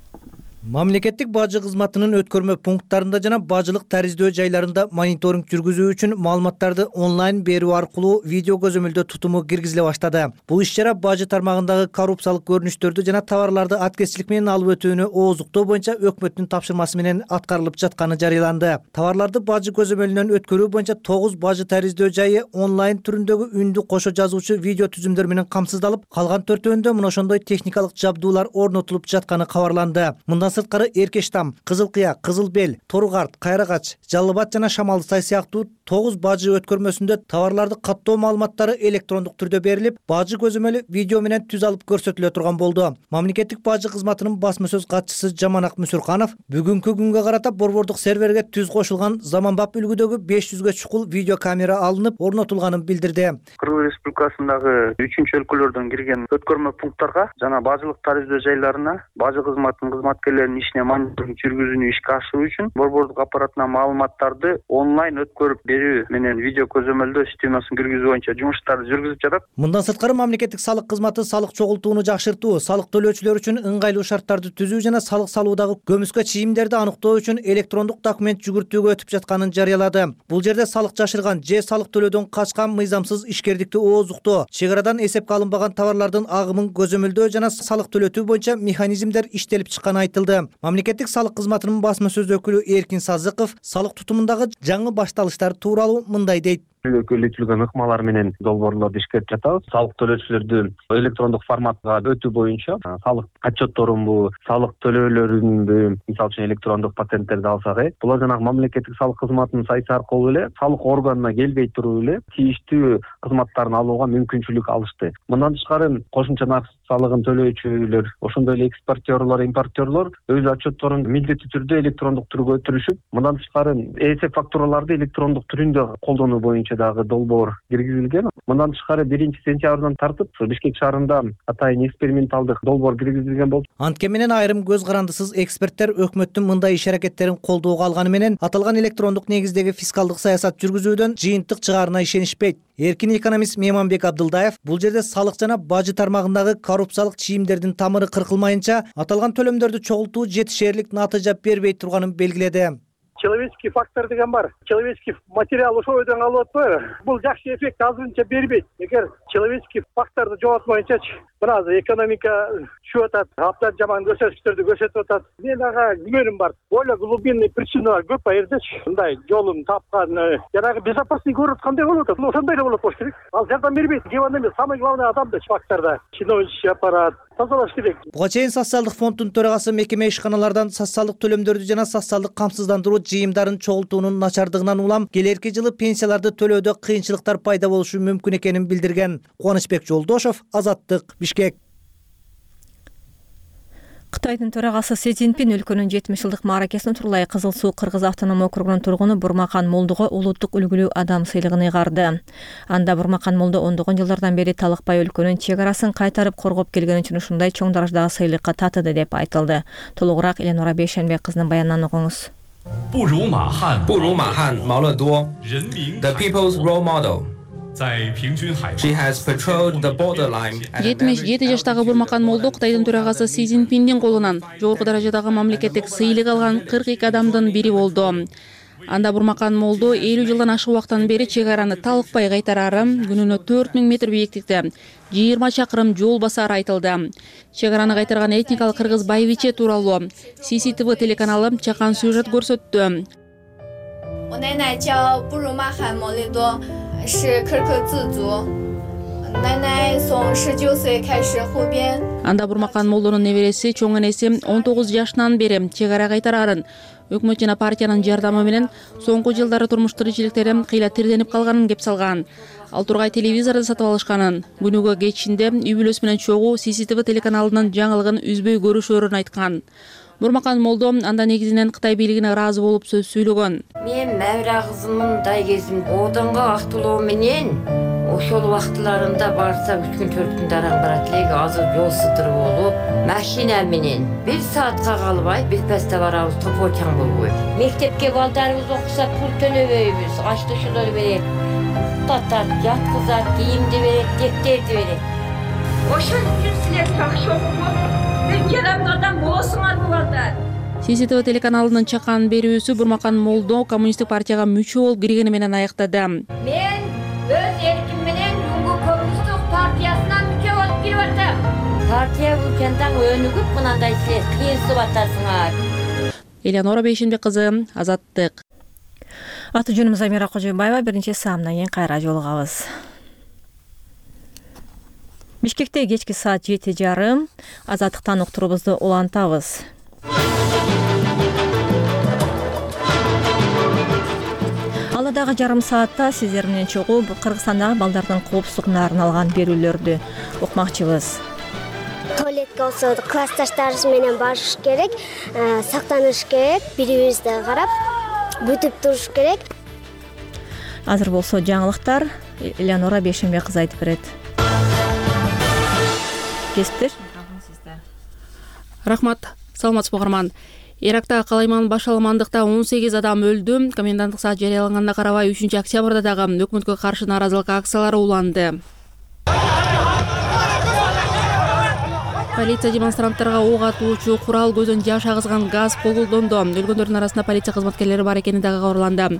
Мамлекеттик бажы кызматынын өткөрмө пункттарында жана бажылык тариздөө жайларында мониторинг жүргүзүү үчүн маалыматтарды онлайн берүү аркылуу видео көзөмөлдөө тутуму киргизиле баштады. Бул иш-чара бажы тармагындагы коррупциялык көрүнүштөрдү жана товарларды аткезчилик менен алып өтүүнү ооздуктоо боюнча өкмөттүн тапшырмасы менен аткарылып жатканы жарыяланды. Товарларды бажы көзөмөлүнөн өткөрүү боюнча тогуз бажы тариздөө жайы онлайн түрүндөгү үндү кошо жазуучу видео түзүмдөр менен камсыздалып, калган төртөөндө мына ошондой техникалык жабдуулар орнотулуп жатканы кабарланды. Мындан сырткары Эркештам, Кызыл Кыя, Кызыл Бел, Торугарт, Кайрагач, Жалал Абад жана Шамалды Сай сыяктуу тогуз бажы өткөрмөсүндө товарларды каттоо маалыматтары электрондук түрдө берилип, бажы көзөмөлү видео менен түз алып көрсөтүлө турган болду. Мамлекеттик бажы кызматынын басма сөз катчысы Жаманак Мүсүрканов бүгүнкү күнгө карата борбордук серверге түз кошулган заманбап үлгүдөгү беш жүзгө чукул видео камера алынып, орнотулганын билдирди. Кыргыз Республикасындагы үчүнчү өлкөлөрдөн кирген өткөрмө пункттарга жана бажылык тариздөө жайларына бажы кызматынын кызматкерлеринин ишине мониторинг жүргүзүүнү ишке ашыруу үчүн борбордук аппаратына маалыматтарды онлайн өткөрүп берүү менен видео көзөмөлдөө системасын киргизүү боюнча жумуштарды жүргүзүп жатат. Мындан сырткары мамлекеттик салык кызматы салык чогултууну жакшыртуу, салык төлөөчүлөр үчүн ыңгайлуу шарттарды түзүү жана салык салуудагы көмүскө чийимдерди аныктоо үчүн электрондук документ жүгүртүүгө өтүп жатканын жарыялады. Бул жерде салык жашырган же салык төлөөдөн качкан мыйзамсыз ишкердикти ооздуктоо, чек арадан эсепке алынбаган товарлардын агымын көзөмөлдөө жана салык төлөтүү боюнча механизмдер иштелип чыкканы айтылды. Мамлекеттик салык кызматынын басма сөз өкүлү Эркин Сазыков салык тутумундагы жаңы башталыштар тууралуу мындай дейт. Көйлөтүлгөн ыкмалар менен долбоорлорду ишкертип жатабыз. Салык төлөөчүлөрдү электрондук форматка өтүү боюнча салык отчетторунбу, салык төлөөлөрүнбү, мисалы үчүн электрондук патенттерди алсак, булар жанагы мамлекеттик салык кызматынын сайты аркылуу эле салык органына келбей туруп эле тийиштүү кызматтарын алууга мүмкүнчүлүк алышты. Мындан тышкары кошумча нарк салыгын төлөөчүлөр, ошондой эле экспортерлор, импортерлор өз отчетторун милдеттүү түрдө электрондук түргө өтүрүшүп, мындан тышкары эсеп фактураларды электрондук түрүндө колдонуу боюнча дагы долбоор киргизилген. Мындан тышкары биринчи сентябрдан тартып Бишкек шаарында атайын эксперименталдык долбоор киргизилген болду. Анткени менен айрым көз карандысыз эксперттер өкмөттүн мындай иш аракеттерин колдоого алганы менен аталган электрондук негиздеги фискалдык саясат жүргүзүүдөн жыйынтык чыгаарына ишенишпейт. Эркин экономист Меманбек Абдылдаев бул жерде салык жана бажы тармагындагы коррупциялык чийимдердин тамыры кыркылмайынча аталган төлөмдөрдү чогултуу жетишээрлик натыйжа бербей турганын белгиледи. Человеческий фактор деген бар. Человеческий материал ошол өйдөн алып атпайбы? Бул жакшы эффект азырынча бербейт. Эгер человеческий факторду жоготмоюнчачы мына азыр экономика түшүп атат, абдан жаман көрсөткүчтөрдү көрсөтүп атат. Мен ага күмөнүм бар. Более глубинный причиналар көп а жердечи. Мындай жолун тапкан, жанагы безопасный город кандай болуп атат? Ошондой эле болот болуш керек. Ал жардам бербейт. Кеп эмес, самый главный адам да факторда. Чиновничий аппарат тазалаш керек. Буга чейин социалдык фонддун төрагасы мекеме ишканалардан социалдык төлөмдөрдү жана социалдык камсыздандыруу жыйымдарын чогултуунун начардыгынан улам келерки жылы пенсияларды төлөөдө кыйынчылыктар пайда болушу мүмкүн экенин билдирген. Кубанычбек Жолдошов, Азаттык, Бишкек. Кытайдын төрагасы Си Цзиньпин өлкөнүн жетимиш жылдык мааракесин Турлай Кызыл Суу Кыргыз автоном округунун тургуну Бурмакан Молдого улуттук үлгүлүү адам сыйлыгын ыйгарды. Анда Бурмакан Молдо ондогон жылдардан бери талыкпай өлкөнүн чек арасын кайтарып коргоп келгени үчүн ушундай чоң даражадагы сыйлыкка татыды деп айтылды. Толугураак Эленора Бейшенбек кызынын баянынан угуңуз. 不如马汉，不如马汉毛乐多 ，The People's Role Model。She has patrolled the borderline. жетимиш жети жаштагы Бурмакан Молдо Кытайдын төрагасы Си Цзиньпиндин колунан жогорку даражадагы мамлекеттик сыйлык алган кырк эки адамдын бири болду. Анда Бурмакан Молдо элүү жылдан ашык убакыттан бери чек араны талыкпай кайтарары, күнүнө төрт миң метр бийиктикте жыйырма чакырым жол басары айтылды. Чек араны кайтарган этникалык кыргыз Байвиче тууралуу Си Си Ти Ви телеканалы чакан сюжет көрсөттү. 我奶奶叫布鲁玛罕莫雷多，是可可自族。奶奶从十九岁开始湖边。 Анда Бурмакан Молдонун небереси чоң энеси он тогуз жашынан бери чек ара кайтарарын, өкмөт жана партиянын жардамы менен соңку жылдары турмуш тиричиликтери кыйла тирденип калганын кеп салган. Ал тургай телевизорду сатып алышканын, күнүгө кечинде үй бүлөсү менен чогуу Си Си Ти Ви телеканалынын жаңылыгын үзбөй көрүшөрүн айткан. Бурмакан Молдо анда негизинен Кытай бийлигине ыраазы болуп сөз сүйлөгөн. Мен Мәвра кызымын дай кезим одонго актылоо менен ошол убактыларында барса үч күн төрт күн дараң барат элек, азыр жол сыдыр болуп, машина менен бир саатка калбай бир паста барабыз, топочаң болбой. Мектепке балдарыбыз окуса пул төлөбөйбүз, ачтышуулар берет, уктатат, жаткызат, кийимди берет, дефтерди берет. ошон үчүн силер жакшы окуп үлгөн адам болосуңар буларда. Си Си Ти Ви телеканалынын чакан берүүсү Бурмакан Молдо коммунисттик партияга мүчө болуп киргени менен аяктады. Мен өз эрким менен Жумгу коммунисттик партиясына мүчө болуп кирип атам. Партия бул жантан өнүгүп мынандай силер кыйынсып атасыңар. Элеонора Бейшенбек кызы, Азаттык. Аты жөнүм Замира Кожойбаева. Биринчи саамдан кийин кайра жолугабыз. Бишкекте кечки саат жети жарым. Азаттыктан уктуруубузду улантабыз. Алардагы жарым саатта сиздер менен чогуу Кыргызстандагы балдардын коопсуздугуна арналган берүүлөрдү укмакчыбыз. Туалетке болсо классташтарыбыз менен барыш керек, сактаныш керек, бири-бирибизди карап, бүтүп туруш керек. Азыр болсо жаңылыктар Элеонора Бейшенбек кызы айтып берет. Кесиптеш? Рахмат. Саламатсызбы угарман. Иракта калайман башаламандыкта он сегиз адам өлдү. Коменданттык саат жарыялаганына карабай үчүнчү октябрда дагы өкмөткө каршы нааразылык акциялары уланды. Полиция демонстранттарга ок атуучу курал, көзөн жаш агызган газ колдонду. Өлгөндөрдүн арасында полиция кызматкерлери бар экени дагы кабарланды.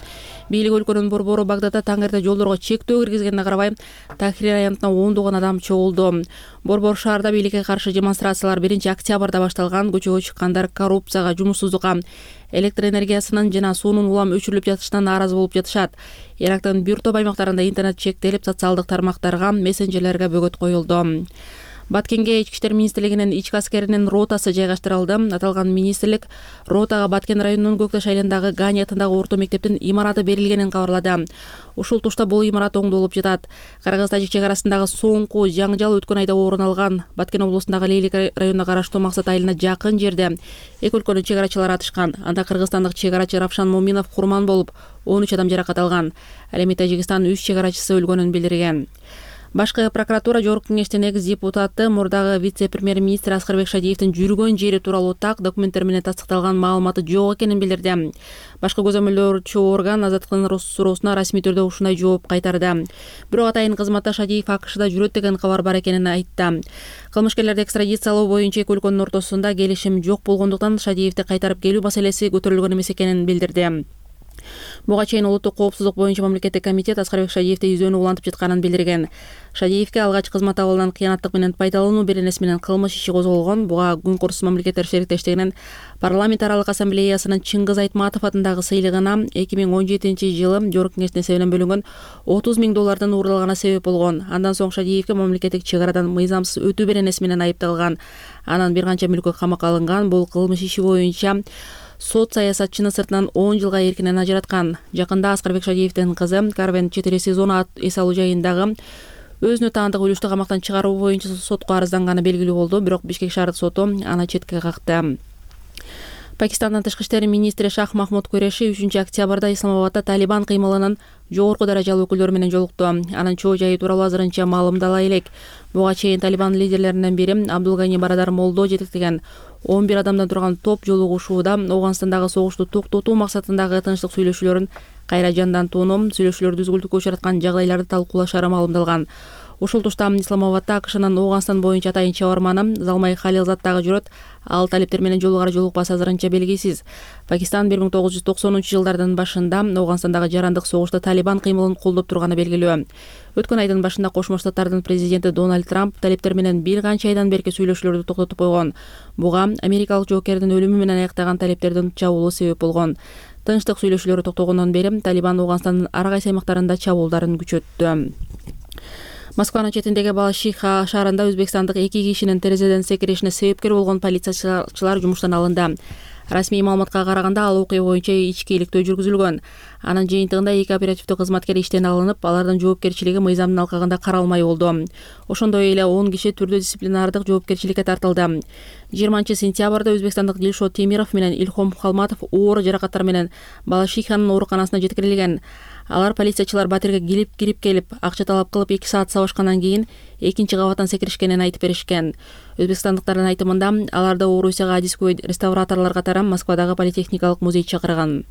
Бийлик өлкөнүн борбору Багдадда таң эрте жолдорго чектөө киргизгенине карабай Тахрир аянтына ондогон адам чогулду. Борбор шаарда бийликке каршы демонстрациялар биринчи октябрда башталган. Көчөгө чыккандар коррупцияга, жумушсуздукка, электр энергиясынын жана суунун улам өчүрүлүп жатышына нааразы болуп жатышат. Ирактын бир топ аймактарында интернет чектелип, социалдык тармактарга, мессенджерлерге бөгөт коюлду. Баткенге Ички иштер министрлигинин ички аскеринин ротасы жайгаштырылды. Аталган министрлик ротага Баткен районунун Көкташ айылындагы Гани атындагы орто мектептин имараты берилгенин кабарлады. Ушул тушта бул имарат оңдолуп жатат. Кыргыз-Тажик чек арасындагы соңку жаңжал өткөн айда орун алган. Баткен облусундагы Лейлик районуна караштуу Максат айылына жакын жерде эки өлкөнүн чек арачылары атышкан. Анда кыргызстандык чек арачы Равшан Моминов курман болуп, он үч адам жаракат алган. Ал эми Тажикстан үч чек арачысы өлгөнүн билдирген. Башкы прокуратура Жогорку кеңештин экс депутаты, мурдагы вице-премьер-министр Аскарбек Шадиевдин жүргөн жери тууралуу так документтер менен тастыкталган маалыматы жок экенин билдирди. Башкы көзөмөлдөөчү орган азаттыктын суроосуна расмий түрдө ушундай жооп кайтарды. Бирок атайын кызматта Шадиев АКШда жүрөт деген кабар бар экенин айтты. Кылмышкерлерди экстрадициялоо боюнча эки өлкөнүн ортосунда келишим жок болгондуктан Шадиевди кайтарып келүү маселеси көтөрүлгөн эмес экенин билдирди. Буга чейин улуттук коопсуздук боюнча мамлекеттик комитет Аскарбек Шадиевди издөөнү улантып жатканын билдирген. Шадиевге алгач кызмат абалынан кыянаттык менен пайдалануу беренеси менен кылмыш иши козголгон. Буга Күнкурс мамлекеттер шериктештигинин парламент аралык ассамблеясынын Чыңгыз Айтматов атындагы сыйлыгына эки миң он жетинчи жылы Жогорку кеңештин эсебинен бөлүнгөн отуз миң доллардын уурдалганы себеп болгон. Андан соң Шадиевге мамлекеттик чек арадан мыйзамсыз өтүү беренеси менен айыпталган. Анан бир канча мүлкү камакка алынган. Бул кылмыш иши боюнча сот саясатчыны сыртынан он жылга эркинен ажыраткан. Жакында Аскарбек Шадиевдин кызы Карвен четыре сезона эс алуу жайындагы өзүнө таандык үлүштү камактан чыгаруу боюнча сотко арызданганы белгилүү болду. Бирок Бишкек шаардык соту аны четке какты. Пакистандын тышкы иштер министри Шах Махмуд Куреши үчүнчү октябрда Исламабадда Талибан кыймылынын жогорку даражалуу өкүлдөрү менен жолукту. Анын чоо жайы тууралуу азырынча маалымдала элек. Буга чейин Талибан лидерлеринен бири Абдулгани Барадар Молдо жетектеген он бир адамдан турган топ жолугушууда Ооганстандагы согушту токтотуу максатындагы тынчтык сүйлөшүүлөрүн кайра жандантууну, сүйлөшүүлөр түзгүлтүккө учраткан жагдайларды талкуулашары маалымдалган. Ушул тушта Исламабадда АКШнын Ооганстан боюнча атайын чабарманы Залмай Халилзад дагы жүрөт. Ал талиптер менен жолугара жолукпасы азырынча белгисиз. Пакистан бир миң тогуз жүз токсонунчу жылдардын башында Ооганстандагы жарандык согушта Талибан кыймылын колдоп турганы белгилүү. Өткөн айдын башында Кошмо Штаттардын президенти Дональд Трамп талиптер менен бир канча айдан берки сүйлөшүүлөрдү токтотуп койгон. Буга америкалык жоокердин өлүмү менен аяктаган талиптердин чабуулу себеп болгон. Тынчтык сүйлөшүүлөрү токтогондон бери Талибан Ооганстандын ар кайсы аймактарында чабуулдарын күчөттү. Москванын четиндеги Балашиха шаарында өзбекстандык эки кишинин терезеден секиришине себепкер болгон полициячылар жумуштан алынды. Расмий маалыматка караганда ал окуя боюнча ички иликтөө жүргүзүлгөн. Анын жыйынтыгында эки оперативдүү кызматкер иштен алынып, алардын жоопкерчилиги мыйзамдын алкагында каралмай болду. Ошондой эле он киши түрдүү дисциплинардык жоопкерчиликке тартылды. жыйырманчы сентябрда өзбекстандык Дилшот Темиров менен Илхом Халматов оор жаракаттар менен Балашиханын ооруканасына жеткирилген. Алар полициячылар батирге кирип кирип келип, акча талап кылып эки саат сабашкандан кийин экинчи кабаттан секиришкенин айтып беришкен. Өзбекстандыктардын айтымында аларды Орусияга адискөй реставраторлор катары Москвадагы политехникалык музей чакырган.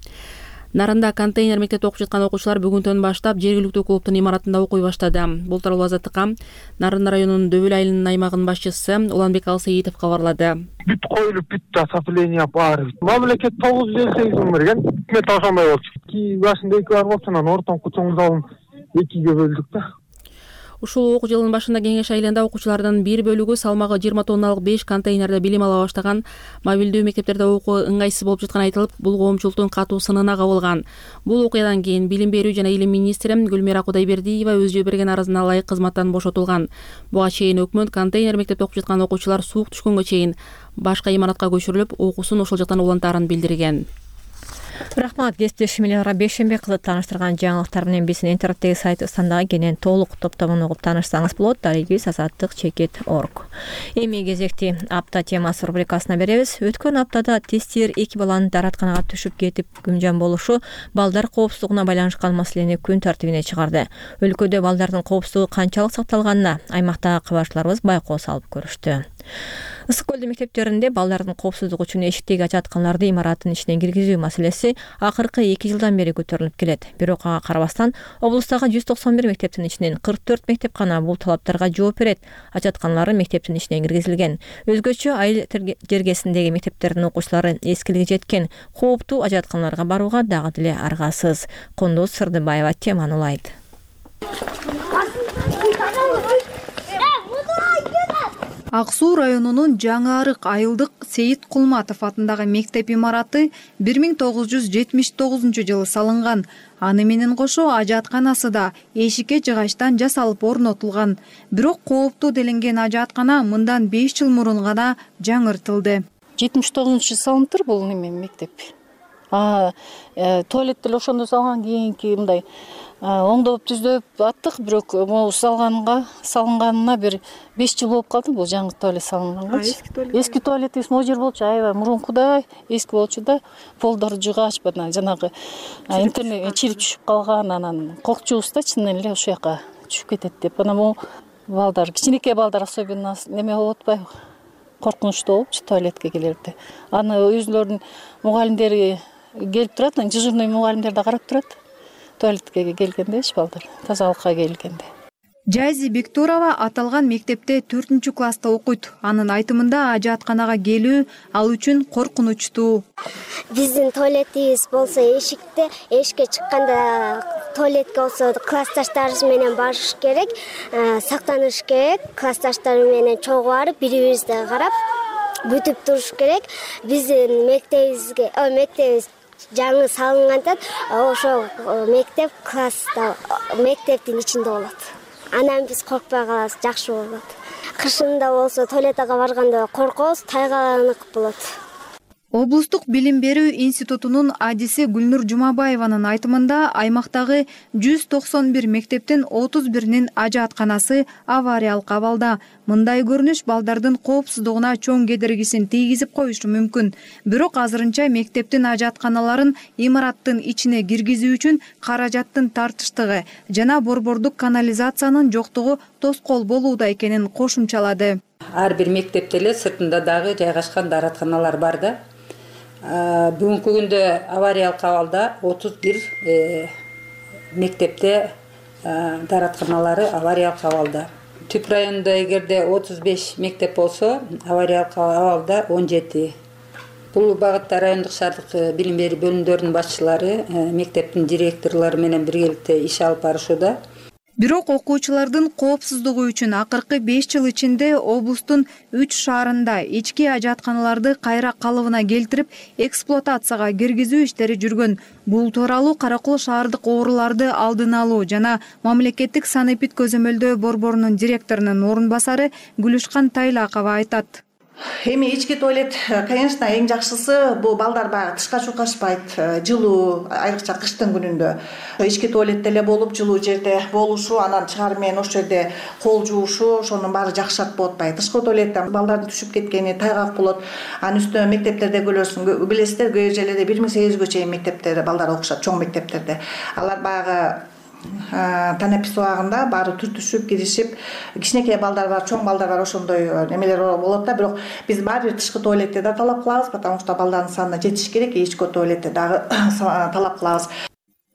Нарында контейнер мектепте окуп жаткан окуучулар бүгүнтөн баштап жергиликтүү клубдун имаратында окуй баштады. Бул тууралуу Азаттыкка Нарын районунун Дөбөл айылынын аймагынын башчысы Уланбек Алсейитов кабарлады. Бүт коюлуп, бүт отопление бар. Мамлекет тогуз жүз элүү сегиз миң берген. Өкмөт ошондой болчу. Ки башында эки бар болчу, анан ортоңку чоң залын экиге бөлдүк да. Ушул окуу жылынын башында Кеңеш айылында окуучулардын бир бөлүгү салмагы жыйырма тонналык беш контейнерде билим ала баштаган. Мобилдүү мектептерде окуу ыңгайсыз болуп жатканы айтылып, бул коомчулуктун катуу сынына кабылган. Бул окуядан кийин Билим берүү жана илим министри Гүлмира Кудайбердиева өзү берген арызына ылайык кызматтан бошотулган. Буга чейин өкмөт контейнер мектепте окуп жаткан окуучулар суук түшкөнгө чейин башка имаратка көчүрүлүп, окуусун ошол жактан улантаарын билдирген. Рахмат, кесиптешимилерге Бейшембек кызы тааныштырган жаңылыктар менен биздин интернеттеги сайт ыстандагы кенен толук топтомун угуп таанышсаңыз болот. Дарегибиз азаттык чекит точка орг. Эми кезекти апта темасы рубрикасына беребиз. Өткөн аптада тестир эки баланын даратканага түшүп кетип күмжан болушу балдар коопсуздугуна байланышкан маселени күн тартибине чыгарды. Өлкөдө балдардын коопсуздугу канчалык сакталганына аймактагы кабарчыларыбыз байкоо салып көрүштү. Ысык көлдө мектептеринде балдардын коопсуздугу үчүн эшиктеги ажатканларды имараттын ичине киргизүү маселеси акыркы эки жылдан бери көтөрүлүп келет. Бирок ага карабастан облустагы жүз токсон бир мектептин ичинен кырк төрт мектеп гана бул талаптарга жооп берет. Ажатканлары мектептин ичине киргизилген. Өзгөчө айыл жергесиндеги мектептердин окуучулары эскилиги жеткен кооптуу ажатканларга барууга дагы деле аргасыз. Кондоз Сырдыбаева теманы улайт. Ак Суу районунун Жаңы Арык айылдык Сейит Кулматов атындагы мектеп имараты бир миң тогуз жүз жетимиш тогузунчу жылы салынган. Аны менен кошо ажатканасы да эшикке жыгачтан жасалып орнотулган. Бирок кооптуу делинген ажаткана мындан беш жыл мурун гана жаңыртылды. жетимиш тогузунчу жылы салыныптыр бул неме мектеп. А туалет деле ошондо салган, кийинки мындай оңдоп түздөп аттык, бирок могу салганга салынганына бир беш жыл болуп калды бул жаңы туалет салынганга. Эски туалет. Эски туалетибиз могу жер болчу, аябай мурункудай эски болчу да, полдору жыгач бана жанагы интернет чирип түшүп калган, анан коркчубуз да чынын эле ушул жака түшүп кетет деп. Анан могу балдар, кичинекей балдар особенно неме болуп атпайбы? Коркунучтуу болупчу туалетке келерде. Аны өзүлөрүнүн мугалимдери келип турат, дежурный мугалимдер да карап турат. Туалетке келгенде эч балдар, тазалыкка келгенде. Жайзи Бектурова аталган мектепте төртүнчү класста окуйт. Анын айтымында ажатканага келүү ал үчүн коркунучтуу. Биздин туалетибиз болсо эшикте, эшикке чыкканда туалетке болсо классташтарыбыз менен барыш керек, сактаныш керек. Классташтар менен чогуу барып, бири-бирибизди карап, бүтүп туруш керек. Биздин мектебибизге, о мектебибиз жаңы салынганда ошо мектеп класста, мектептин ичинде болот. Анан биз коркпой калабыз, жакшы болот. Кышында болсо туалетке барганда коркобуз, тайгаланык болот. Облустук билим берүү институтунун адиси Гүлнур Жумабаеванын айтымында аймактагы жүз токсон бир мектептин отуз биринин ажатканасы авариялык абалда. Мындай көрүнүш балдардын коопсуздугуна чоң кедергисин тийгизип коюшу мүмкүн. Бирок азырынча мектептин ажатканаларын имараттын ичине киргизүү үчүн каражаттын тартыштыгы жана борбордук канализациянын жоктугу тоскоол болууда экенин кошумчалады. Ар бир мектепте эле сыртында дагы жайгашкан дааратканалар бар да. Бүгүнкү күндө авариялык абалда отуз бир мектепте дааратканалары авариялык абалда. Түп районунда эгерде отуз беш мектеп болсо, авариялык абалда он жети. Бул багытта райондук шаардык билим берүү бөлүмдөрүнүн башчылары, мектептин директорлору менен биргеликте иш алып барышууда. Бирок окуучулардын коопсуздугу үчүн акыркы беш жыл ичинде облустун үч шаарында ички ажатканаларды кайра калыбына келтирип, эксплуатацияга киргизүү иштери жүргөн. Бул тууралуу Каракол шаардык ооруларды алдын алуу жана мамлекеттик санэпид көзөмөлдөө борборунун директорунун орун басары Гүлүшкан Тайлакова айтат. Эми ички туалет, конечно, эң жакшысы бул балдар баягы тышка чуркашпайт, жылуу, айрыкча кыштын күнүндө. Ички туалетте эле болуп, жылуу жерде болушу, анан чыгаруу менен ошол жерде кол жуушу, ошонун баары жакшырак болот атпайбы. Тышкы туалетте балдардын түшүп кеткени, тайгак болот. Анын үстүнө мектептерде көрөсүң, билесиздер, кээ жерлерде бир миң сегиз жүзгө чейин мектептерде балдар окушат, чоң мектептерде. Алар баягы танапис убагында баары түртүшүп киришип, кичинекей балдар бар, чоң балдар бар, ошондой немелер болот да. Бирок биз баары бир тышкы туалетте да талап кылабыз, потому что балдардын санына жетиш керек, ички туалетте дагы талап кылабыз.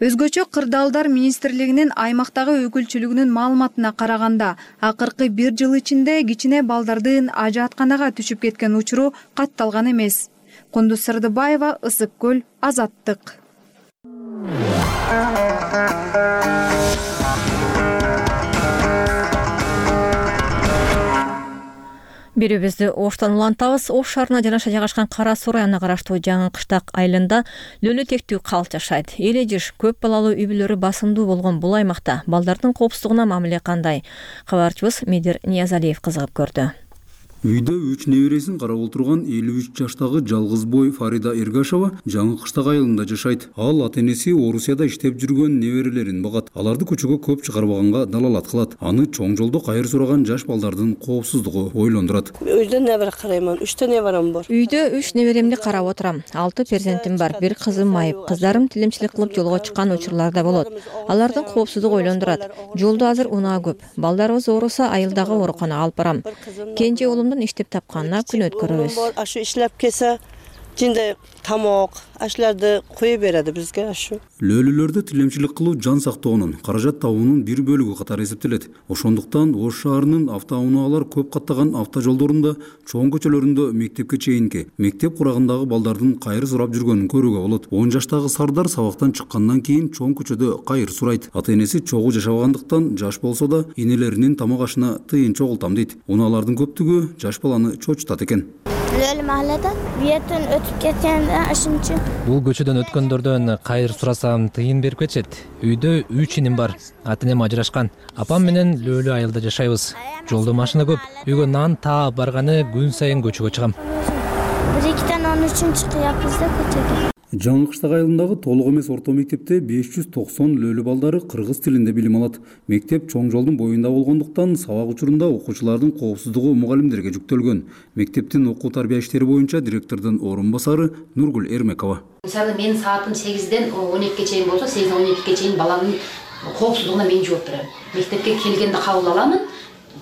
Өзгөчө кырдаалдар министрлигинин аймактагы өкүлчүлүгүнүн маалыматына караганда, акыркы бир жыл ичинде кичине балдардын ажаатканага түшүп кеткен учуру катталган эмес. Кундуз Сырдыбаева, Ысык көл, Азаттык. Берүүбүздү Оштон улантабыз. Ош шаарына жанаша жайгашкан Кара Суу районуна караштуу Жаңы Кыштак айылында лөлү тектүү калп жашайт. Эли жыш көп балалуу үй бүлөлөрү басымдуу болгон бул аймакта балдардын коопсуздугуна мамиле кандай? Кабарчыбыз Медер Ниязалиев кызыгып көрдү. Үйдө үч небересин карап отурган элүү үч жаштагы жалгыз бой Фарида Эргашева Жаңы Кыштак айылында жашайт. Ал ата-энеси Орусияда иштеп жүргөн неберелерин багат. Аларды көчөгө көп чыгарбаганга далалат кылат. Аны чоң жолдо кайыр сураган жаш балдардын коопсуздугу ойлондурат. Үйдө небере карайман, үчтө неберем бар. Үйдө үч неберемди карап отурам. алты перзентим бар, бир кызым майып. Кыздарым тилимчилик кылып жолго чыккан учурлар да болот. Алардын коопсуздугу ойлондурат. Жолдо азыр унаа көп. Балдарыбыз ооруса айылдагы ооруканага алып барам. Кенже уулум иштеп тапканына күн өткөрөбүз. Ашу иштеп келсе, жинде тамак, ашларды кое береді бизге ашу. Лөлүлөрдө тилемчилик кылуу жан сактоонун, каражат табуунун бир бөлүгү катары эсептелет. Ошондуктан Ош шаарынын автоунаалар көп каттаган автожолдорунда, чоң көчөлөрүндө мектепке чейинки, мектеп курагындагы балдардын кайыр сурап жүргөнүн көрүүгө болот. он жаштагы Сардар сабактан чыккандан кийин чоң көчөдө кайыр сурайт. Ата-энеси чогуу жашабагандыктан жаш болсо да энелеринин тамак ашына тыйын чогултам дейт. Унаалардын көптүгү жаш баланы чочутат экен. Лөл махаллада биетен өтүп кеткенде ашынчы. Бул көчөдөн өткөндөрдөн кайыр сурасам тыйын берип кетишет. Үйдө үч иним бар. Ата-энем ажырашкан. Апам менен Лөлү айылда жашайбыз. Жолдо машина көп. Үйгө нан таап барганы күн сайын көчөгө чыгам. бир экиден он үчүнчү кыяпбыз да көчөгө. Жаңы Кыштак айылындагы толук эмес орто мектепте беш жүз токсон лөлү балдары кыргыз тилинде билим алат. Мектеп чоң жолдун боюнда болгондуктан сабак учурунда окуучулардын коопсуздугу мугалимдерге жүктөлгөн. Мектептин окуу тарбия иштери боюнча директордун орун басары Нургүл Эрмекова. Мисалы мен саатым сегизден он экиге чейин болсо, сегизден он экиге чейин баланын коопсуздугуна мен жооп берем. Мектепке келгенде кабыл аламын.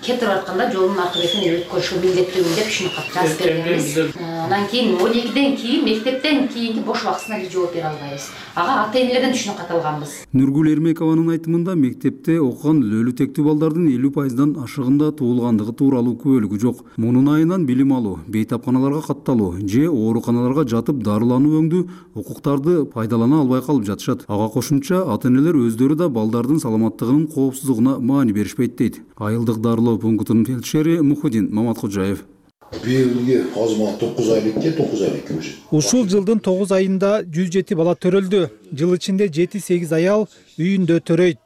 Кетип атканда жолдун аркы бетинен өткөрүшү милдеттүүмүн деп ушуну жазып бергенбиз. Анан кийин он экиден кийин мектептен кийинки бош убактысына бир жооп бере албайбыз. Ага ата-энелерден ушуну каталганбыз. Нургүл Эрмекованын айтымында мектепте окуган лөлү тектүү балдардын элүү пайыздан ашыгында туулгандыгы тууралуу күбөлүгү жок. Мунун айынан билим алуу, бейтапканаларга катталуу же ооруканаларга жатып дарылануу өңдүү укуктарды пайдалана албай калып жатышат. Ага кошумча ата-энелер өздөрү да балдардын саламаттыгынын коопсуздугуна маани беришпейт дейт. Айылдык дарылоо пунктунун фельдшери Мухудин Маматкожаев. Биылғы азма тогуз айлыкке тогуз айлыкке уже. Ушул жылдын тогуз айында жүз жети бала төрөлдү. Жыл ичинде жети сегиз аял үйүндө төрөйт.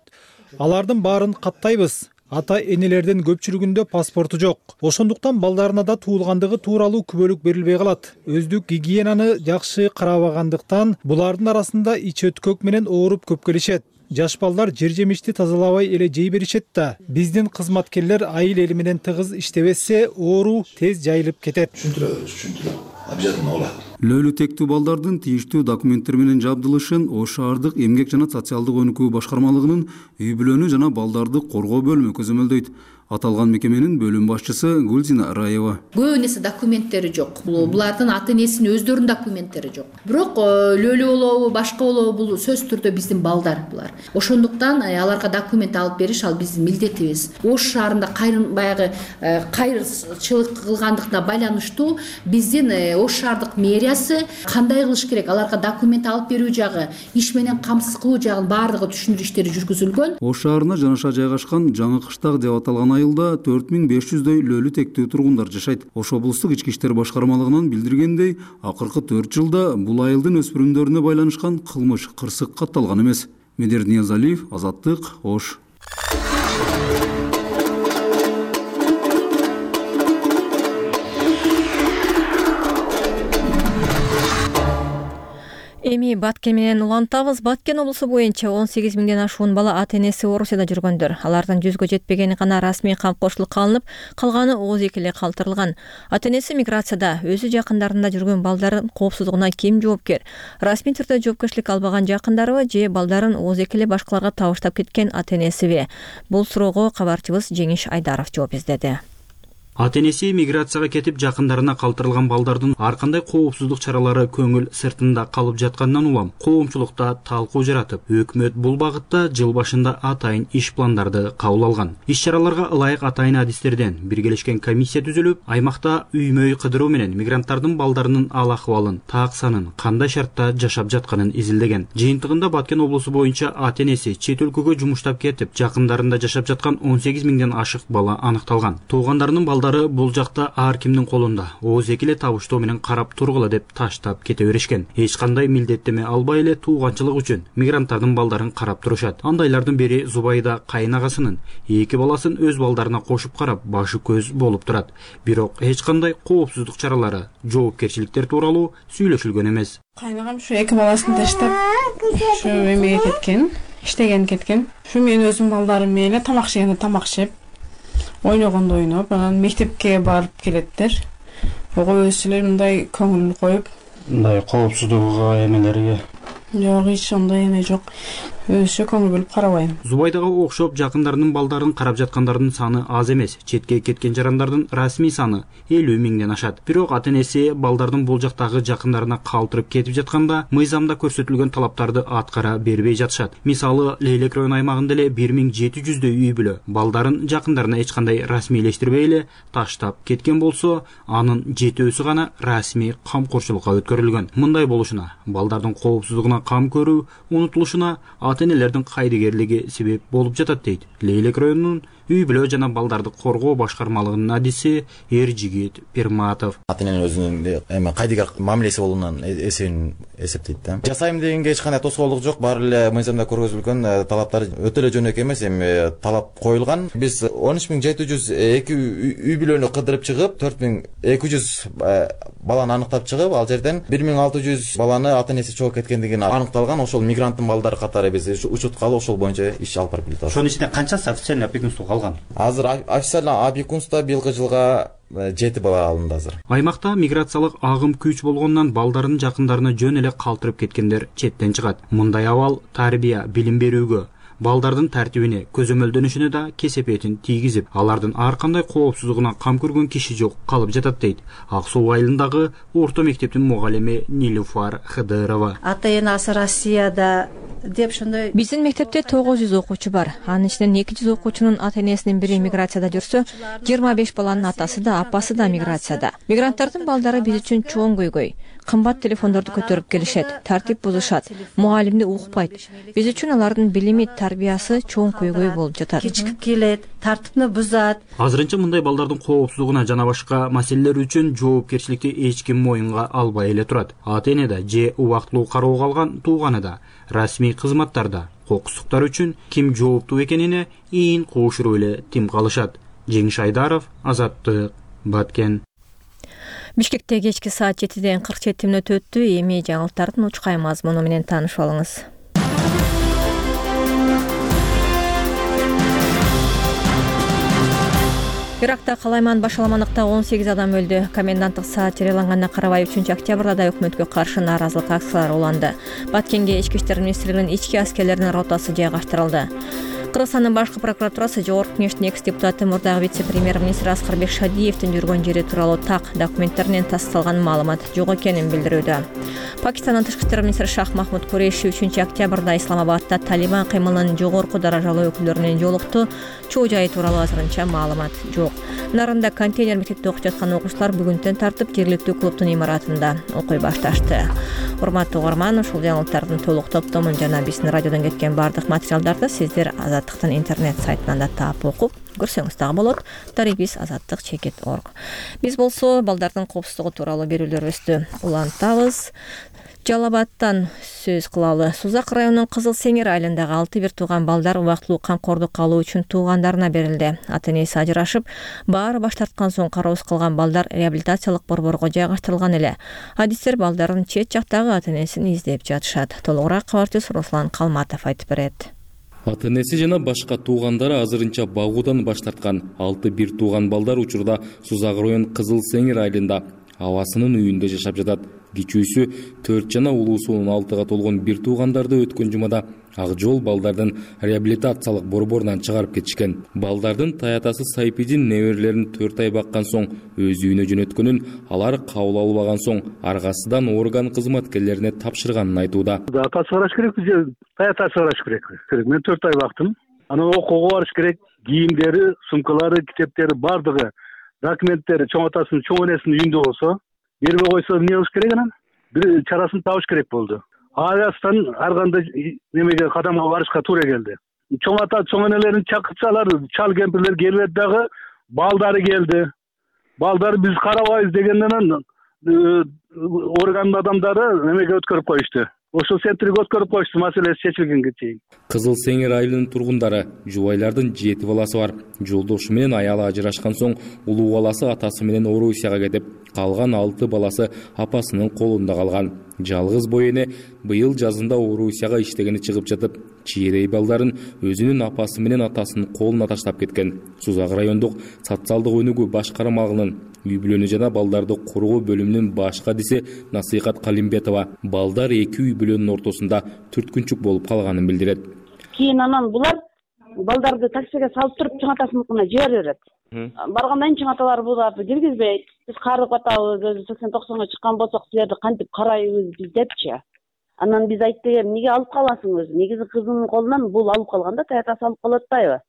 Алардын баарын каттайбыз. Ата-энелердин көпчүлүгүндө паспорту жок. Ошондуктан балдарына да туулгандыгы тууралуу күбөлүк берилбей калат. Өздүк гигиенаны жакшы карабагандыктан булардын арасында ич өткөк менен ооруп көп келишет. Жаш балдар жер жемишти тазалабай эле жей беришет да. Биздин кызматкерлер айыл эли менен тыгыз иштебесе, оору тез жайылып кетет. Түшүндүрөбүз, түшүндүрөбүз. Обязательно болот. Лөлү тектүү балдардын тийиштүү документтер менен жабдылышын Ош шаардык эмгек жана социалдык өнүкүү башкармалыгынын үй бүлөнү жана балдарды коргоо бөлүмү көзөмөлдөйт. Аталган мекеменин бөлүм башчысы Гүлзина Раева. Көп нерсе документтери жок. Булардын ата-энесинин өздөрүнүн документтери жок. Бирок лөлү болобу, башка болобу бул сөзсүз түрдө биздин балдар булар. Ошондуктан аларга документ алып бериш ал биздин милдетибиз. Ош шаарында кайрын баягы кайрчылык кылгандыктына байланыштуу биздин Ош шаардык мэриясы кандай кылыш керек, аларга документ алып берүү жагы, иш менен камсыз кылуу жагын баардыгы түшүндүрүү иштери жүргүзүлгөн. Ош шаарына жанаша жайгашкан Жаңы Кыштак деп аталган айылда төрт миң беш жүздөй лөлү тектүү тургундар жашайт. Ош облустук ички иштер башкармалыгынан билдиргендей, акыркы төрт жылда бул айылдын өспүрүмдөрүнө байланышкан кылмыш кырсык катталган эмес. Медер Ниязалиев, Азаттык, Ош. Эми Баткен менен улантабыз. Баткен облусу боюнча он сегиз миңден ашуун бала ата энеси Орусияда жүргөндөр. Алардын жүзгө жетпегени гана расмий камкорчулукка алынып, калганы ооз эки эле калтырылган. Ата энеси миграцияда, өзү жакындарында жүргөн балдардын коопсуздугуна ким жооптер? Расмий түрдө жоопкерчилик албаган жакындарыбы же балдарын ооз эки эле башкаларга табыштап кеткен ата энесиби? Бул суроого кабарчыбыз Жеңиш Айдаров жооп издеди. Ата энеси миграцияга кетип жакындарына калтырылган балдардын ар кандай коопсуздук чаралары көңүл сыртында калып жаткандан улам коомчулукта талкуу жаратып, өкмөт бул багытта жыл башында атайын иш пландарды кабыл алган. Иш-чараларга ылайык атайын адистерден биргелешкен комиссия түзүлүп, аймакта үй-мөй кыдыруу менен мигранттардын балдарынын ал акыбалын, так санын, кандай шартта жашап жатканын изилдеген. Жыйынтыгында Баткен облусу боюнча ата энеси чет өлкөгө жумуштап кетип, жакындарында жашап жаткан он сегиз миңден ашык бала аныкталган. Туугандарынын балдары бул жакта ар кимдин колунда ооз эки эле табыштоо менен карап тургула деп таштап кете беришкен. Эч кандай милдеттеме албай эле тууганчылык үчүн мигранттардын балдарын карап турушат. Андайлардын бири Зубайда кайнагасынын эки баласын өз балдарына кошуп карап, башы көз болуп турат. Бирок эч кандай коопсуздук чаралары, жоопкерчиликтер тууралуу сүйлөшүлгөн эмес. Кайнагам ушу эки баласын таштап, ушу эмеге кеткен, иштеген кеткен. Ушу мен өзүм балдарым менен тамак жегенде тамак жеп, ойногондо ойноп, анан мектепке барып келеттер. Ого өзүлөр мындай көңүл коюп, мындай коопсуздугуга эмелерге жок, эч андай эме жок. Өзү көңүл бөлүп карабайм. Зубайдага окшоп жакындарынын балдарын карап жаткандардын саны аз эмес. Четке кеткен жарандардын расмий саны элүү миңден ашат. Бирок ата энеси балдардын бул жактагы жакындарына калтырып кетип жатканда мыйзамда көрсөтүлгөн талаптарды аткара бербей жатышат. Мисалы, Лейлек район аймагында эле бир миң жети жүздөй үй бүлө балдарын жакындарына эч кандай расмийлештирбей эле таштап кеткен болсо, анын жетөөсү гана расмий камкорчулукка өткөрүлгөн. Мындай болушуна балдардын коопсуздугуна кам көрүү унутулушуна ата энелердин кайдыгерлиги себеп болуп жатат дейт Лейлек районунун үй бүлө жана балдарды коргоо башкармалыгынын адиси Эржигит Перматов. Ата эненин өзүнүн эме кайдыгер мамилеси болуунан эсебин эсептейт да. Жасайм дегенге эч кандай тоскоолдук жок, баары эле мыйзамда көргөзүлгөн талаптар өтө эле жөнөкөй эмес, эми талап коюлган. Биз он үч миң жети жүз эки үй бүлөнү кыдырып чыгып, төрт миң эки жүз баланы аныктап чыгып, ал жерден бир миң алты жүз баланы ата энеси чогуу кеткендиги аныкталган. Ошол мигранттын балдары катары биз учуткалы ошол боюнча иш алып барып келатабыз. Ошонун ичинде канчасы официальный опекунство калган? Азыр официальный опекунство быйылкы жылга жети бала алынды азыр. Аймакта миграциялык агым күч болгондон балдарын жакындарына жөн эле калтырып кеткендер четтен чыгат. Мындай абал тарбия, билим берүүгө, балдардын тартибине, көзөмөлдөнүшүнө да кесепетин тийгизип, алардын ар кандай коопсуздугуна кам көргөн киши жок калып жатат дейт Ак Суу айылындагы орто мектептин мугалими Нилуфар Хыдырова. Ата энасы Россияда деп ошондой. Биздин мектепте тогуз жүз окуучу бар. Анын ичинен эки жүз окуучунун ата энесинин бири миграцияда жүрсө, жыйырма беш баланын атасы да, апасы да миграцияда. Мигранттардын балдары биз үчүн чоң көйгөй. Кымбат телефондорду көтөрүп келишет, тартип бузушат, мугалимди укпайт. Биз үчүн алардын билими, тарбиясы чоң көйгөй болуп жатат. Кечикип келет, тартипни бузат. Азырынча мындай балдардын коопсуздугуна жана башка маселелер үчүн жоопкерчиликти эч ким моюнга албай эле турат. Ата эне да же убактылуу кароого алган тууганы да, расмий кызматтарда кокустуктар үчүн ким жооптуу экенине ийин коошуруп эле тим калышат. Жеңиш Айдаров, Азаттык, Баткен. Бишкекте кечки саат жетиден кырк жети мүнөт өттү. Эми жаңылыктардын учкай мазмуну менен таанышып алыңыз. Иракта калайман башаламандыкта он сегиз адам өлдү. Коменданттык саат жарыяланганына карабай үчүнчү октябрда да өкмөткө каршы нааразылык акциялары уланды. Баткенге Ички иштер министрлигинин ички аскерлеринин ротасы жайгаштырылды. Кыргызстандын башкы прокуратурасы Жогорку Кеңештин экс депутаты мурдагы вице-премьер-министр Аскарбек Шадиевдин жүргөн жери тууралуу так документтер менен тасталган маалымат жок экенин билдирүүдө. Пакистандын тышкы иштер министри Шах Махмуд Куреши үчүнчү октябрда Исламабадда Талибан кыймылынын жогорку даражалуу өкүлдөрү менен жолукту. Чоо жайы тууралуу азырынча маалымат жок. Нарында контейнер мектепте окуп жаткан окуучулар бүгүнтөн тартып жергиликтүү клубдун имаратында окуй башташты. Урматтуу угарман, ушул жаңылыктардын толук топтомун жана биздин радиодон кеткен бардык материалдарды сиздер Азаттыктын интернет сайтынан да таап окуп көрсөңүз дагы болот. Дарибиз Азаттык чекит орг. Биз болсо балдардын коопсуздугу тууралуу берүүлөрүбүздү улантабыз. Жалал сөз кылалы. Сузак районунун Кызыл Сеңир айылындагы алты бир тууган балдар убактылуу камкордукка алуу үчүн туугандарына берилди. Ата-энеси ажырашып, баары баш тарткан соң кароосуз калган балдар реабилитациялык борборго жайгаштырылган эле. Адистер балдарын чет жактагы ата-энесин издеп жатышат. Толугураак кабарчыбыз Руслан Калматов айтып берет. Ата-энеси жана башка туугандары азырынча багуудан баш тарткан алты бир тууган балдар учурда Сузак район Кызыл Сеңир айылында абасынын үйүндө жашап жатат. Кичүүсү төрт жана улуусу он алтыга толгон бир туугандарды өткөн жумада Ак Жол балдардын реабилитациялык борборунан чыгарып кетишкен. Балдардын таятасы Сайпидин неберелерин төрт ай баккан соң өз үйүнө жөнөткөнүн, алар кабыл албаган соң аргасыдан орган кызматкерлерине тапшырганын айтууда. Атасы караш керек, таятасы караш керек. Мен төрт ай бактым. Анан окууга барыш керек. Кийимдери, сумкалары, китептери бардыгы, документтери чоң атасынын, чоң энесинин үйүндө болсо, бербей койсо эмне кылыш керек анан? Бир чарасын табыш керек болду. Аястан ар кандай немеге кадамга барышка туура келди. Чоң ата, чоң энелерин чакыртсалар, чал кемпирлер келбedi дагы, балдары келди. Балдары биз карабайбыз дегенден органдын адамдары немеге өткөрүп коюшту. Ошол центрге өткөрүп коюшту, маселеси чечилгенге чейин. Кызыл Сеңир айылынын тургундары жубайлардын жети баласы бар. Жолдошу менен аялы ажырашкан соң улуу баласы атасы менен Орусияга кетип, калган алты баласы апасынын колунда калган. Жалгыз бой эне быйыл жазында Орусияга иштегени чыгып жатып, чийрей балдарын өзүнүн апасы менен атасынын колуна таштап кеткен. Сузак райондук социалдык өнүгүү башкармалыгынын үй бүлөнү жана балдарды коргоо бөлүмүнүн баш кадиси Насыйкат Калимбетова балдар эки үй бүлөнүн ортосунда түрткүнчүк болуп калганын билдирет. Кийин анан булар балдарды таксиге салып туруп чоң атасыныкына жибере берет. Баргандан кийин чоң аталар буларды киргизбейт. Биз карып атабыз, өзү сексен токсонго чыккан болсок силерди кантип карайбыз биз депчи. Анан биз айттык, эмнеге алып каласың өзү? Негизи кызынын колунан бул алып калганда таятасы алып калып атпайбы?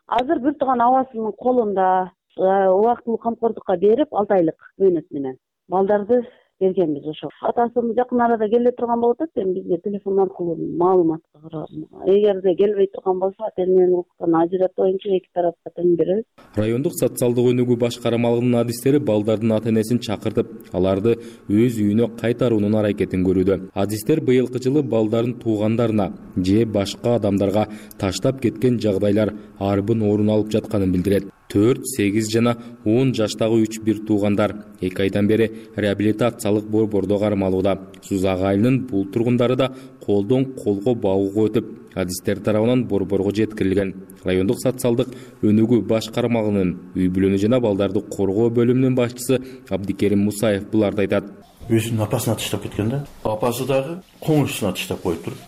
Азыр бир тууган абасынын колунда убактылуу камкордукка берип алты айлык мөөнөт менен балдарды бергенбиз. Ошо атасы жакын арада келе турган болуп атат, эми бизге телефон аркылуу маалымат кылып, эгерде келбей турган болсо ата-эненин укуктан ажыратуу боюнча эки тарапка тең беребиз. Райондук социалдык өнүгүү башкармалыгынын адистери балдардын ата-энесин чакыртып, аларды өз үйүнө кайтаруунун аракетин көрүүдө. Адистер быйылкы жылы балдардын туугандарына же башка адамдарга таштап кеткен жагдайлар арбын орун алып жатканын билдирет. төрт, сегиз жана он жаштагы үч бир туугандар эки айдан бери реабилитациялык борбордо кармалууда. Сузак айылынын бул тургундары да колдон колго багууга өтүп, адистер тарабынан борборго жеткирилген. Райондук социалдык өнүгүү башкармалыгынын үй бүлөнү жана балдарды коргоо бөлүмүнүн башчысы Абдикерим Мусаев буларды айтат. Өзүнүн апасына таштап кеткен да. Апасы дагы коңушусуна таштап коюп туруп,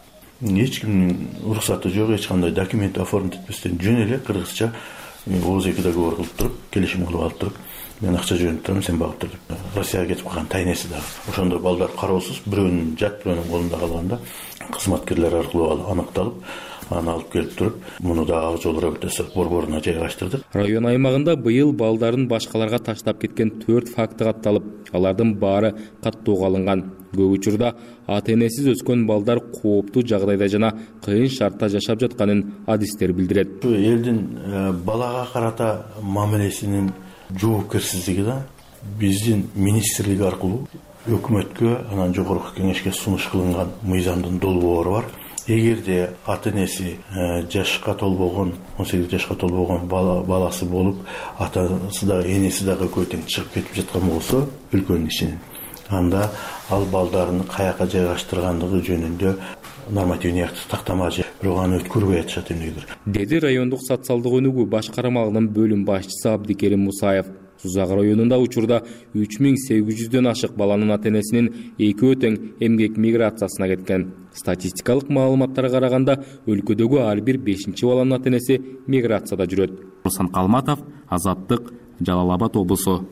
эч кимдин уруксаты жок, эч кандай документ оформить этпестен жөн эле кыргызча ооз эки договор кылып туруп, келишим кылып алып туруп, мен акча жөнөтүп турам, сен багып тур деп. Россияга кетип калган тайнеси дагы. Ошондо балдар кароосуз, бирөөнүн жат, бирөөнүн колунда калганда кызматкерлер аркылуу аныкталып, аны алып келип туруп, муну да Ак Жол реабилитациялык борборуна жайгаштырдык. Район аймагында быйыл балдарын башкаларга таштап кеткен төрт факты катталып, алардын баары каттоого алынган. Көп учурда ата-энесиз өскөн балдар кооптуу жагдайда жана кыйын шартта жашап жатканын адистер билдирет. Элдин балага карата мамилесинин жоопкерсиздиги да биздин министрлик аркылуу өкмөткө, анан жогорку кеңешке сунуш кылынган мыйзамдын долбоору бар. Эгерде ата-энеси жашка толбогон, он сегиз жашка толбогон баласы болуп, атасы дагы, энеси дагы экөө тең чыгып кетип жаткан болсо, өлкөнүн ичинен, анда ал балдарын каяка жайгаштыргандыгы жөнүндө нормативный акт тактама же бирок аны өткөрбөй атышат эмнегедир. Деди райондук социалдык өнүгүү башкармалыгынын бөлүм башчысы Абдикерим Мусаев. Сузак районунда учурда үч миң сегиз жүздөн ашык баланын ата-энесинин экөө тең эмгек миграциясына кеткен. Статистикалык маалыматтарга караганда өлкөдөгү ар бир бешинчи баланын ата-энеси миграцияда жүрөт. Руслан Калматов, Азаттык, Жалал Абад облусу.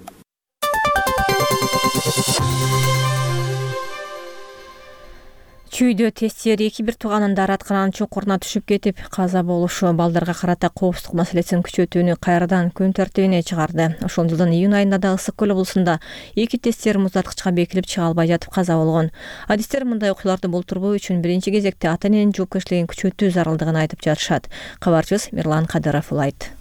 Чүйдө тестер эки бир тууганын дааратканын чуңкуруна түшүп кетип каза болушу балдарга карата коопсуздук маселесин күчөтүүнү кайрадан күн тартибине чыгарды. Ошол жылдын июнь айында да Ысык көл облусунда эки тесттер муздаткычка бекилип чыга албай жатып каза болгон. Адистер мындай окуяларды болтурбоо үчүн биринчи кезекте ата-эненин жоопкерчилигин күчөтүү зарылдыгын айтып жатышат. Кабарчыбыз Мирлан Кадыров улайт.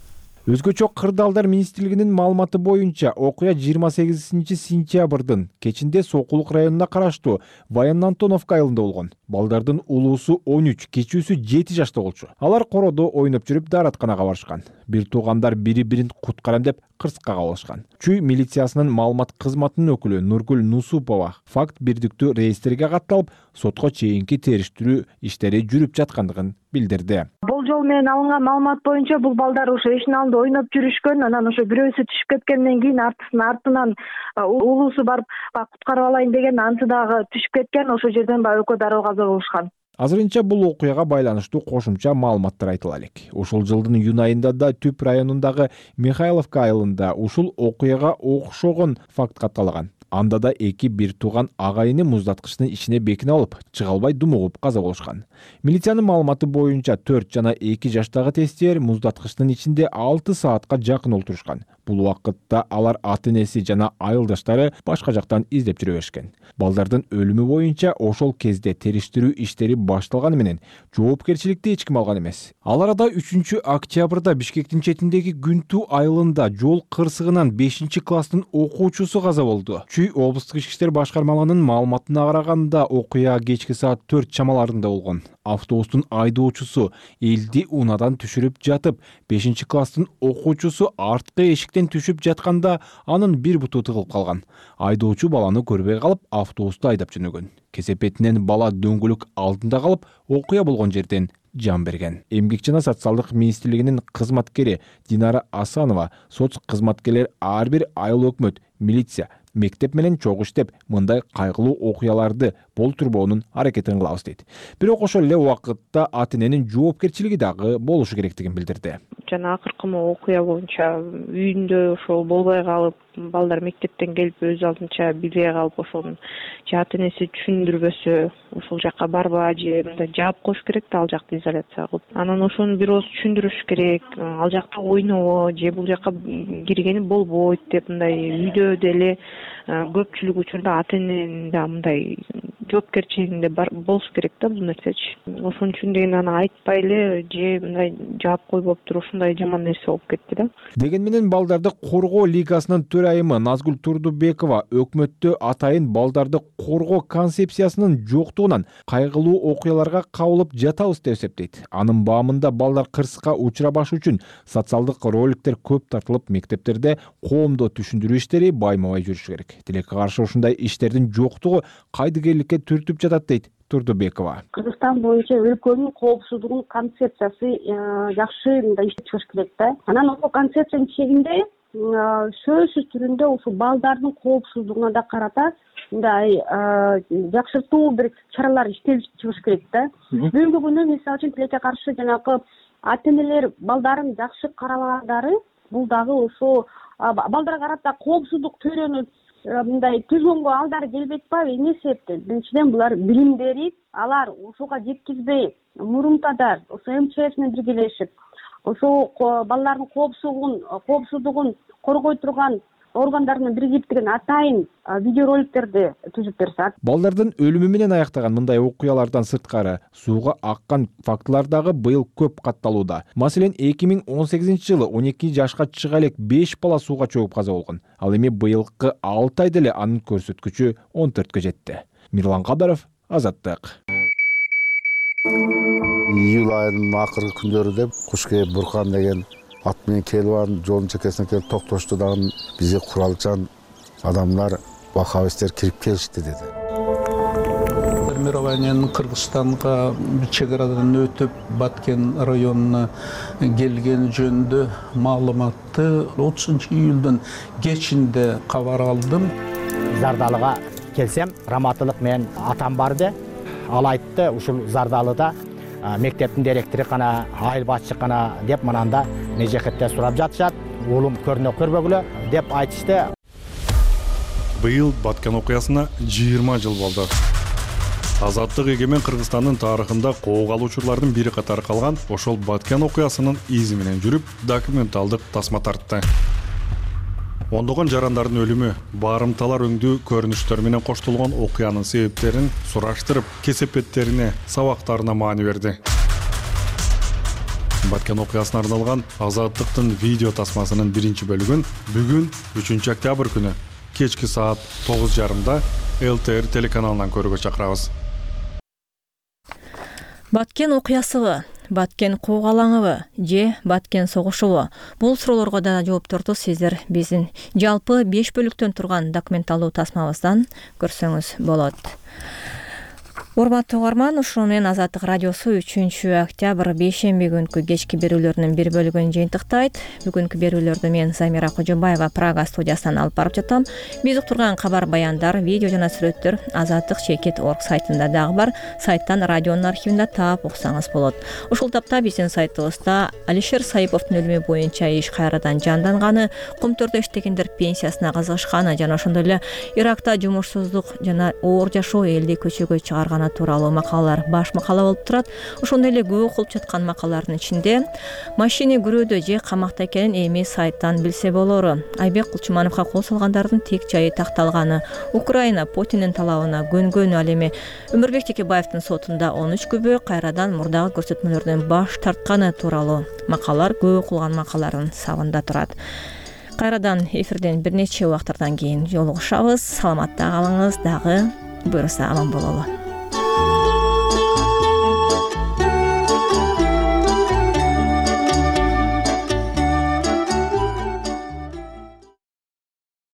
Өзгөчө Кырдаалдар министрлигинин маалыматы боюнча окуя жыйырма сегизинчи сентябрдын кечинде Сокулук районуна караштуу Баян Антоновка айылында болгон. Балдардын улуусу он үч, кичүүсү жети жашта болчу. Алар кородо ойноп жүрүп дааратканага барышкан. Бир туугандар бири-бирин куткарам деп кырсыкка кабылышкан. Чүй милициясынын маалымат кызматынын өкүлү Нургүл Нусупова факт бирдиктүү реестрге катталып, сотко чейинки териштирүү иштери жүрүп жаткандыгын билдирди. Болжол менен алынган маалымат боюнча бул балдар ошо эшиктин алдында ойноп жүрүшкөн, анан ошо бирөөсү түшүп кеткенден кийин артысынан артынан улуусу барып куткарып алайын деген, анты дагы түшүп кеткен, ошол жерден баягы экөө дароо каза болушкан. Азырынча бул окуяга байланыштуу кошумча маалыматтар айтыла элек. Ушул жылдын июнь айында да Түп районундагы Михайловка айылында ушул окуяга окшогон факт катталган. Анда да эки бир тууган агайыны муздаткычтын ичине бекине алып, чыга албай думугуп каза болушкан. Милициянын маалыматы боюнча төрт жана эки жаштагы тестер муздаткычтын ичинде алты саатка жакын олтурушкан. Бул убакытта алар ата-энеси жана айылдаштары башка жактан издеп жүрө беришкен. Балдардын өлүмү боюнча ошол кезде териштирүү иштери башталганы менен жоопкерчиликти эч ким алган эмес. Ал арада үчүнчү октябрда Бишкектин четиндеги Күнтүү айылында жол кырсыгынан бешинчи класстын окуучусу каза болду. Чүй облустук ички иштер башкармалыгынын маалыматына караганда окуя кечки саат төрт чамаларында болгон. Автобустун айдоочусу элди унадан түшүрүп жатып, бешинчи класстын окуучусу арткы эшиктен түшүп жатканда анын бир буту тыгылып калган. Айдоочу баланы көрбөй калып, автобусту айдап жөнөгөн. Кесепетинен бала дөңгөлөк алдында калып, окуя болгон жерден жан берген. Эмгек жана социалдык министрлигинин кызматкери Динара Асанова соц кызматкерлер ар бир айыл өкмөт, милиция, мектеп менен чогуу иштеп, мындай кайгылуу окуяларды болтурбоонун аракетин кылабыз дейт. Бирок ошол эле убакытта ата-эненин жоопкерчилиги дагы болушу керектигин билдирди. Жана акыркы окуя боюнча үйүндө ошол болбой калып, балдар мектептен келип өз алдынча билбей калып, ошонун же ата-энеси түшүндүрбөсө, ошол жакка барба, же мындай жаап коюш керек да, ал жакты изоляция кылып. Анан ошону бир ооз түшүндүрүш керек. Ал жакта ойнобо, же бул жакка киргени болбойт деп, мындай үйдө деле көпчүлүк учурда ата-эненин да мындай жоопкерчилигинде болуш керек да бул нерсечи. Ошон үчүн деген аны айтпай эле же мындай жаап койбоп туруп ушундай жаман нерсе болуп кетти да. Деген менен балдарды коргоо лигасынын төрайымы Назгүл Турдубекова өкмөттө атайын балдарды коргоо концепциясынын жоктугунан кайгылуу окуяларга кабылып жатабыз деп эсептейт. Анын баамында балдар кырсыкка учурабаш үчүн социалдык роликтер көп тартылып, мектептерде коомдо түшүндүрүү иштери байма-бай жүрүшү керек. Тилекке каршы ушундай иштердин жоктугу кайдыгерликке түртүп жатат дейт Турдубекова. Кыргызстан боюнча өлкөнүн коопсуздугунун концепциясы жакшы мындай иштеп чыгыш керек да. Анан ошол концепциянын чегинде сөзсүз түрүндө ушул балдардын коопсуздугуна да карата мындай жакшыртуу бир чаралар иштелип чыгыш керек да. Бүгүнкү күндө мисалы үчүн тилекке каршы жанагы ата-энелер балдарын жакшы карабагандары, бул дагы ошо балдарга карата коопсуздук төрөнүп мындай түзгөнгө алдары келбейт атпайбы? Эмне себептен? Биринчиден булар билим берип, алар ушуга жеткизбей, мурунтадар ошо эм че эс менен биргелешип, ошо балдардын коопсуздугун коопсуздугун коргой турган органдарынын биригиптигин атайын видеороликтерди түзүп берсе. Балдардын өлүмү менен аяктаган мындай окуялардан сырткары сууга аккан фактылар дагы быйыл көп катталууда. Маселен, эки миң он сегизинчи жылы он эки жашка чыга элек беш бала сууга чөгүп каза болгон. Ал эми быйылкы алты айда эле анын көрсөткүчү он төрткө жетти. Мирлан Кадаров, Азаттык. Июль айынын акыркы күндөрү деп Кушкейип Буркан деген ат менен келип анын жолдун чекесине келип токтошту дагы бизге куралчан адамдар, ваххабисттер кирип келишти деди. Формированиянын Кыргызстанга чек арадан өтүп Баткен районуна келгени жөнүндө маалыматты отузунчу июлдун кечинде кабар алдым. Зардалыга келсем, раматылык менен атам барды. Ал айтты, ушул Зардалыда мектептин директору кана, айыл башчы кана деп мананда межекетте сурап жатышат. Уулум көрүнө көрбөгүлө деп айтышты. Быйыл Баткен окуясына жыйырма жыл болду. Азаттык эгемен Кыргызстандын тарыхында коого алуучулардын бири катары калган ошол Баткен окуясынын изи менен жүрүп, документалдык тасма тартты. Ондогон жарандардын өлүмү, барымталар өңдүү көрүнүштөр менен коштолгон окуянын себептерин сураштырып, кесепеттерине, сабактарына маани берди. Баткен окуясына арналган Азаттыктын видео тасмасынын биринчи бөлүгүн бүгүн үчүнчү октябрь күнү кечки саат тогуз жарымда эл тэ эр телеканалынан көрүүгө чакырабыз. Баткен окуясыбы, Баткен куугалаңыбы же Баткен согушубу? Бул суроолорго да жоопторду сиздер биздин жалпы беш бөлүктөн турган документалдуу тасмабыздан көрсөңүз болот. Урматтуу угарман, ушуну менен Азаттык радиосу үчүнчү октябрь бейшемби күнкү кечки берүүлөрүнүн бир бөлүгүн жыйынтыктайт. Бүгүнкү берүүлөрдү мен Замира Кожобаева Прага студиясынан алып барып жатам. Биз уктурган кабар баяндар, видео жана сүрөттөр Азаттык чекит точка орг сайтында дагы бар. Сайттан радионун архивинде таап уксаңыз болот. Ушул тапта биздин сайтыбызда Алишер Саиповдун өлүмү боюнча иш кайрадан жанданганы, Кумтөрдө иштегендер пенсиясына кызыгышканы жана ошондой эле Иракта жумушсуздук жана оор жашоо элди көчөгө чыгарганы тууралуу макалалар баш макала болуп турат. Ошондой эле көп окулуп жаткан макалалардын ичинде машина күрөөдө же камакта экенин эми сайттан билсе болору. Айбек Кулчумановго кол салгандардын тек жайы такталганы, Украина Путиндин талабына көнгөнү, ал эми Өмүрбек Текебаевдин сотунда он үч күбө кайрадан мурдагы көрсөтмөлөрдөн баш тартканы тууралуу макалалар көп окулган макалалардын сабында турат. Кайрадан эфирден бир нече убакыттардан кийин жолугушабыз. Саламатта калыңыз, дагы буюрса аман бололу.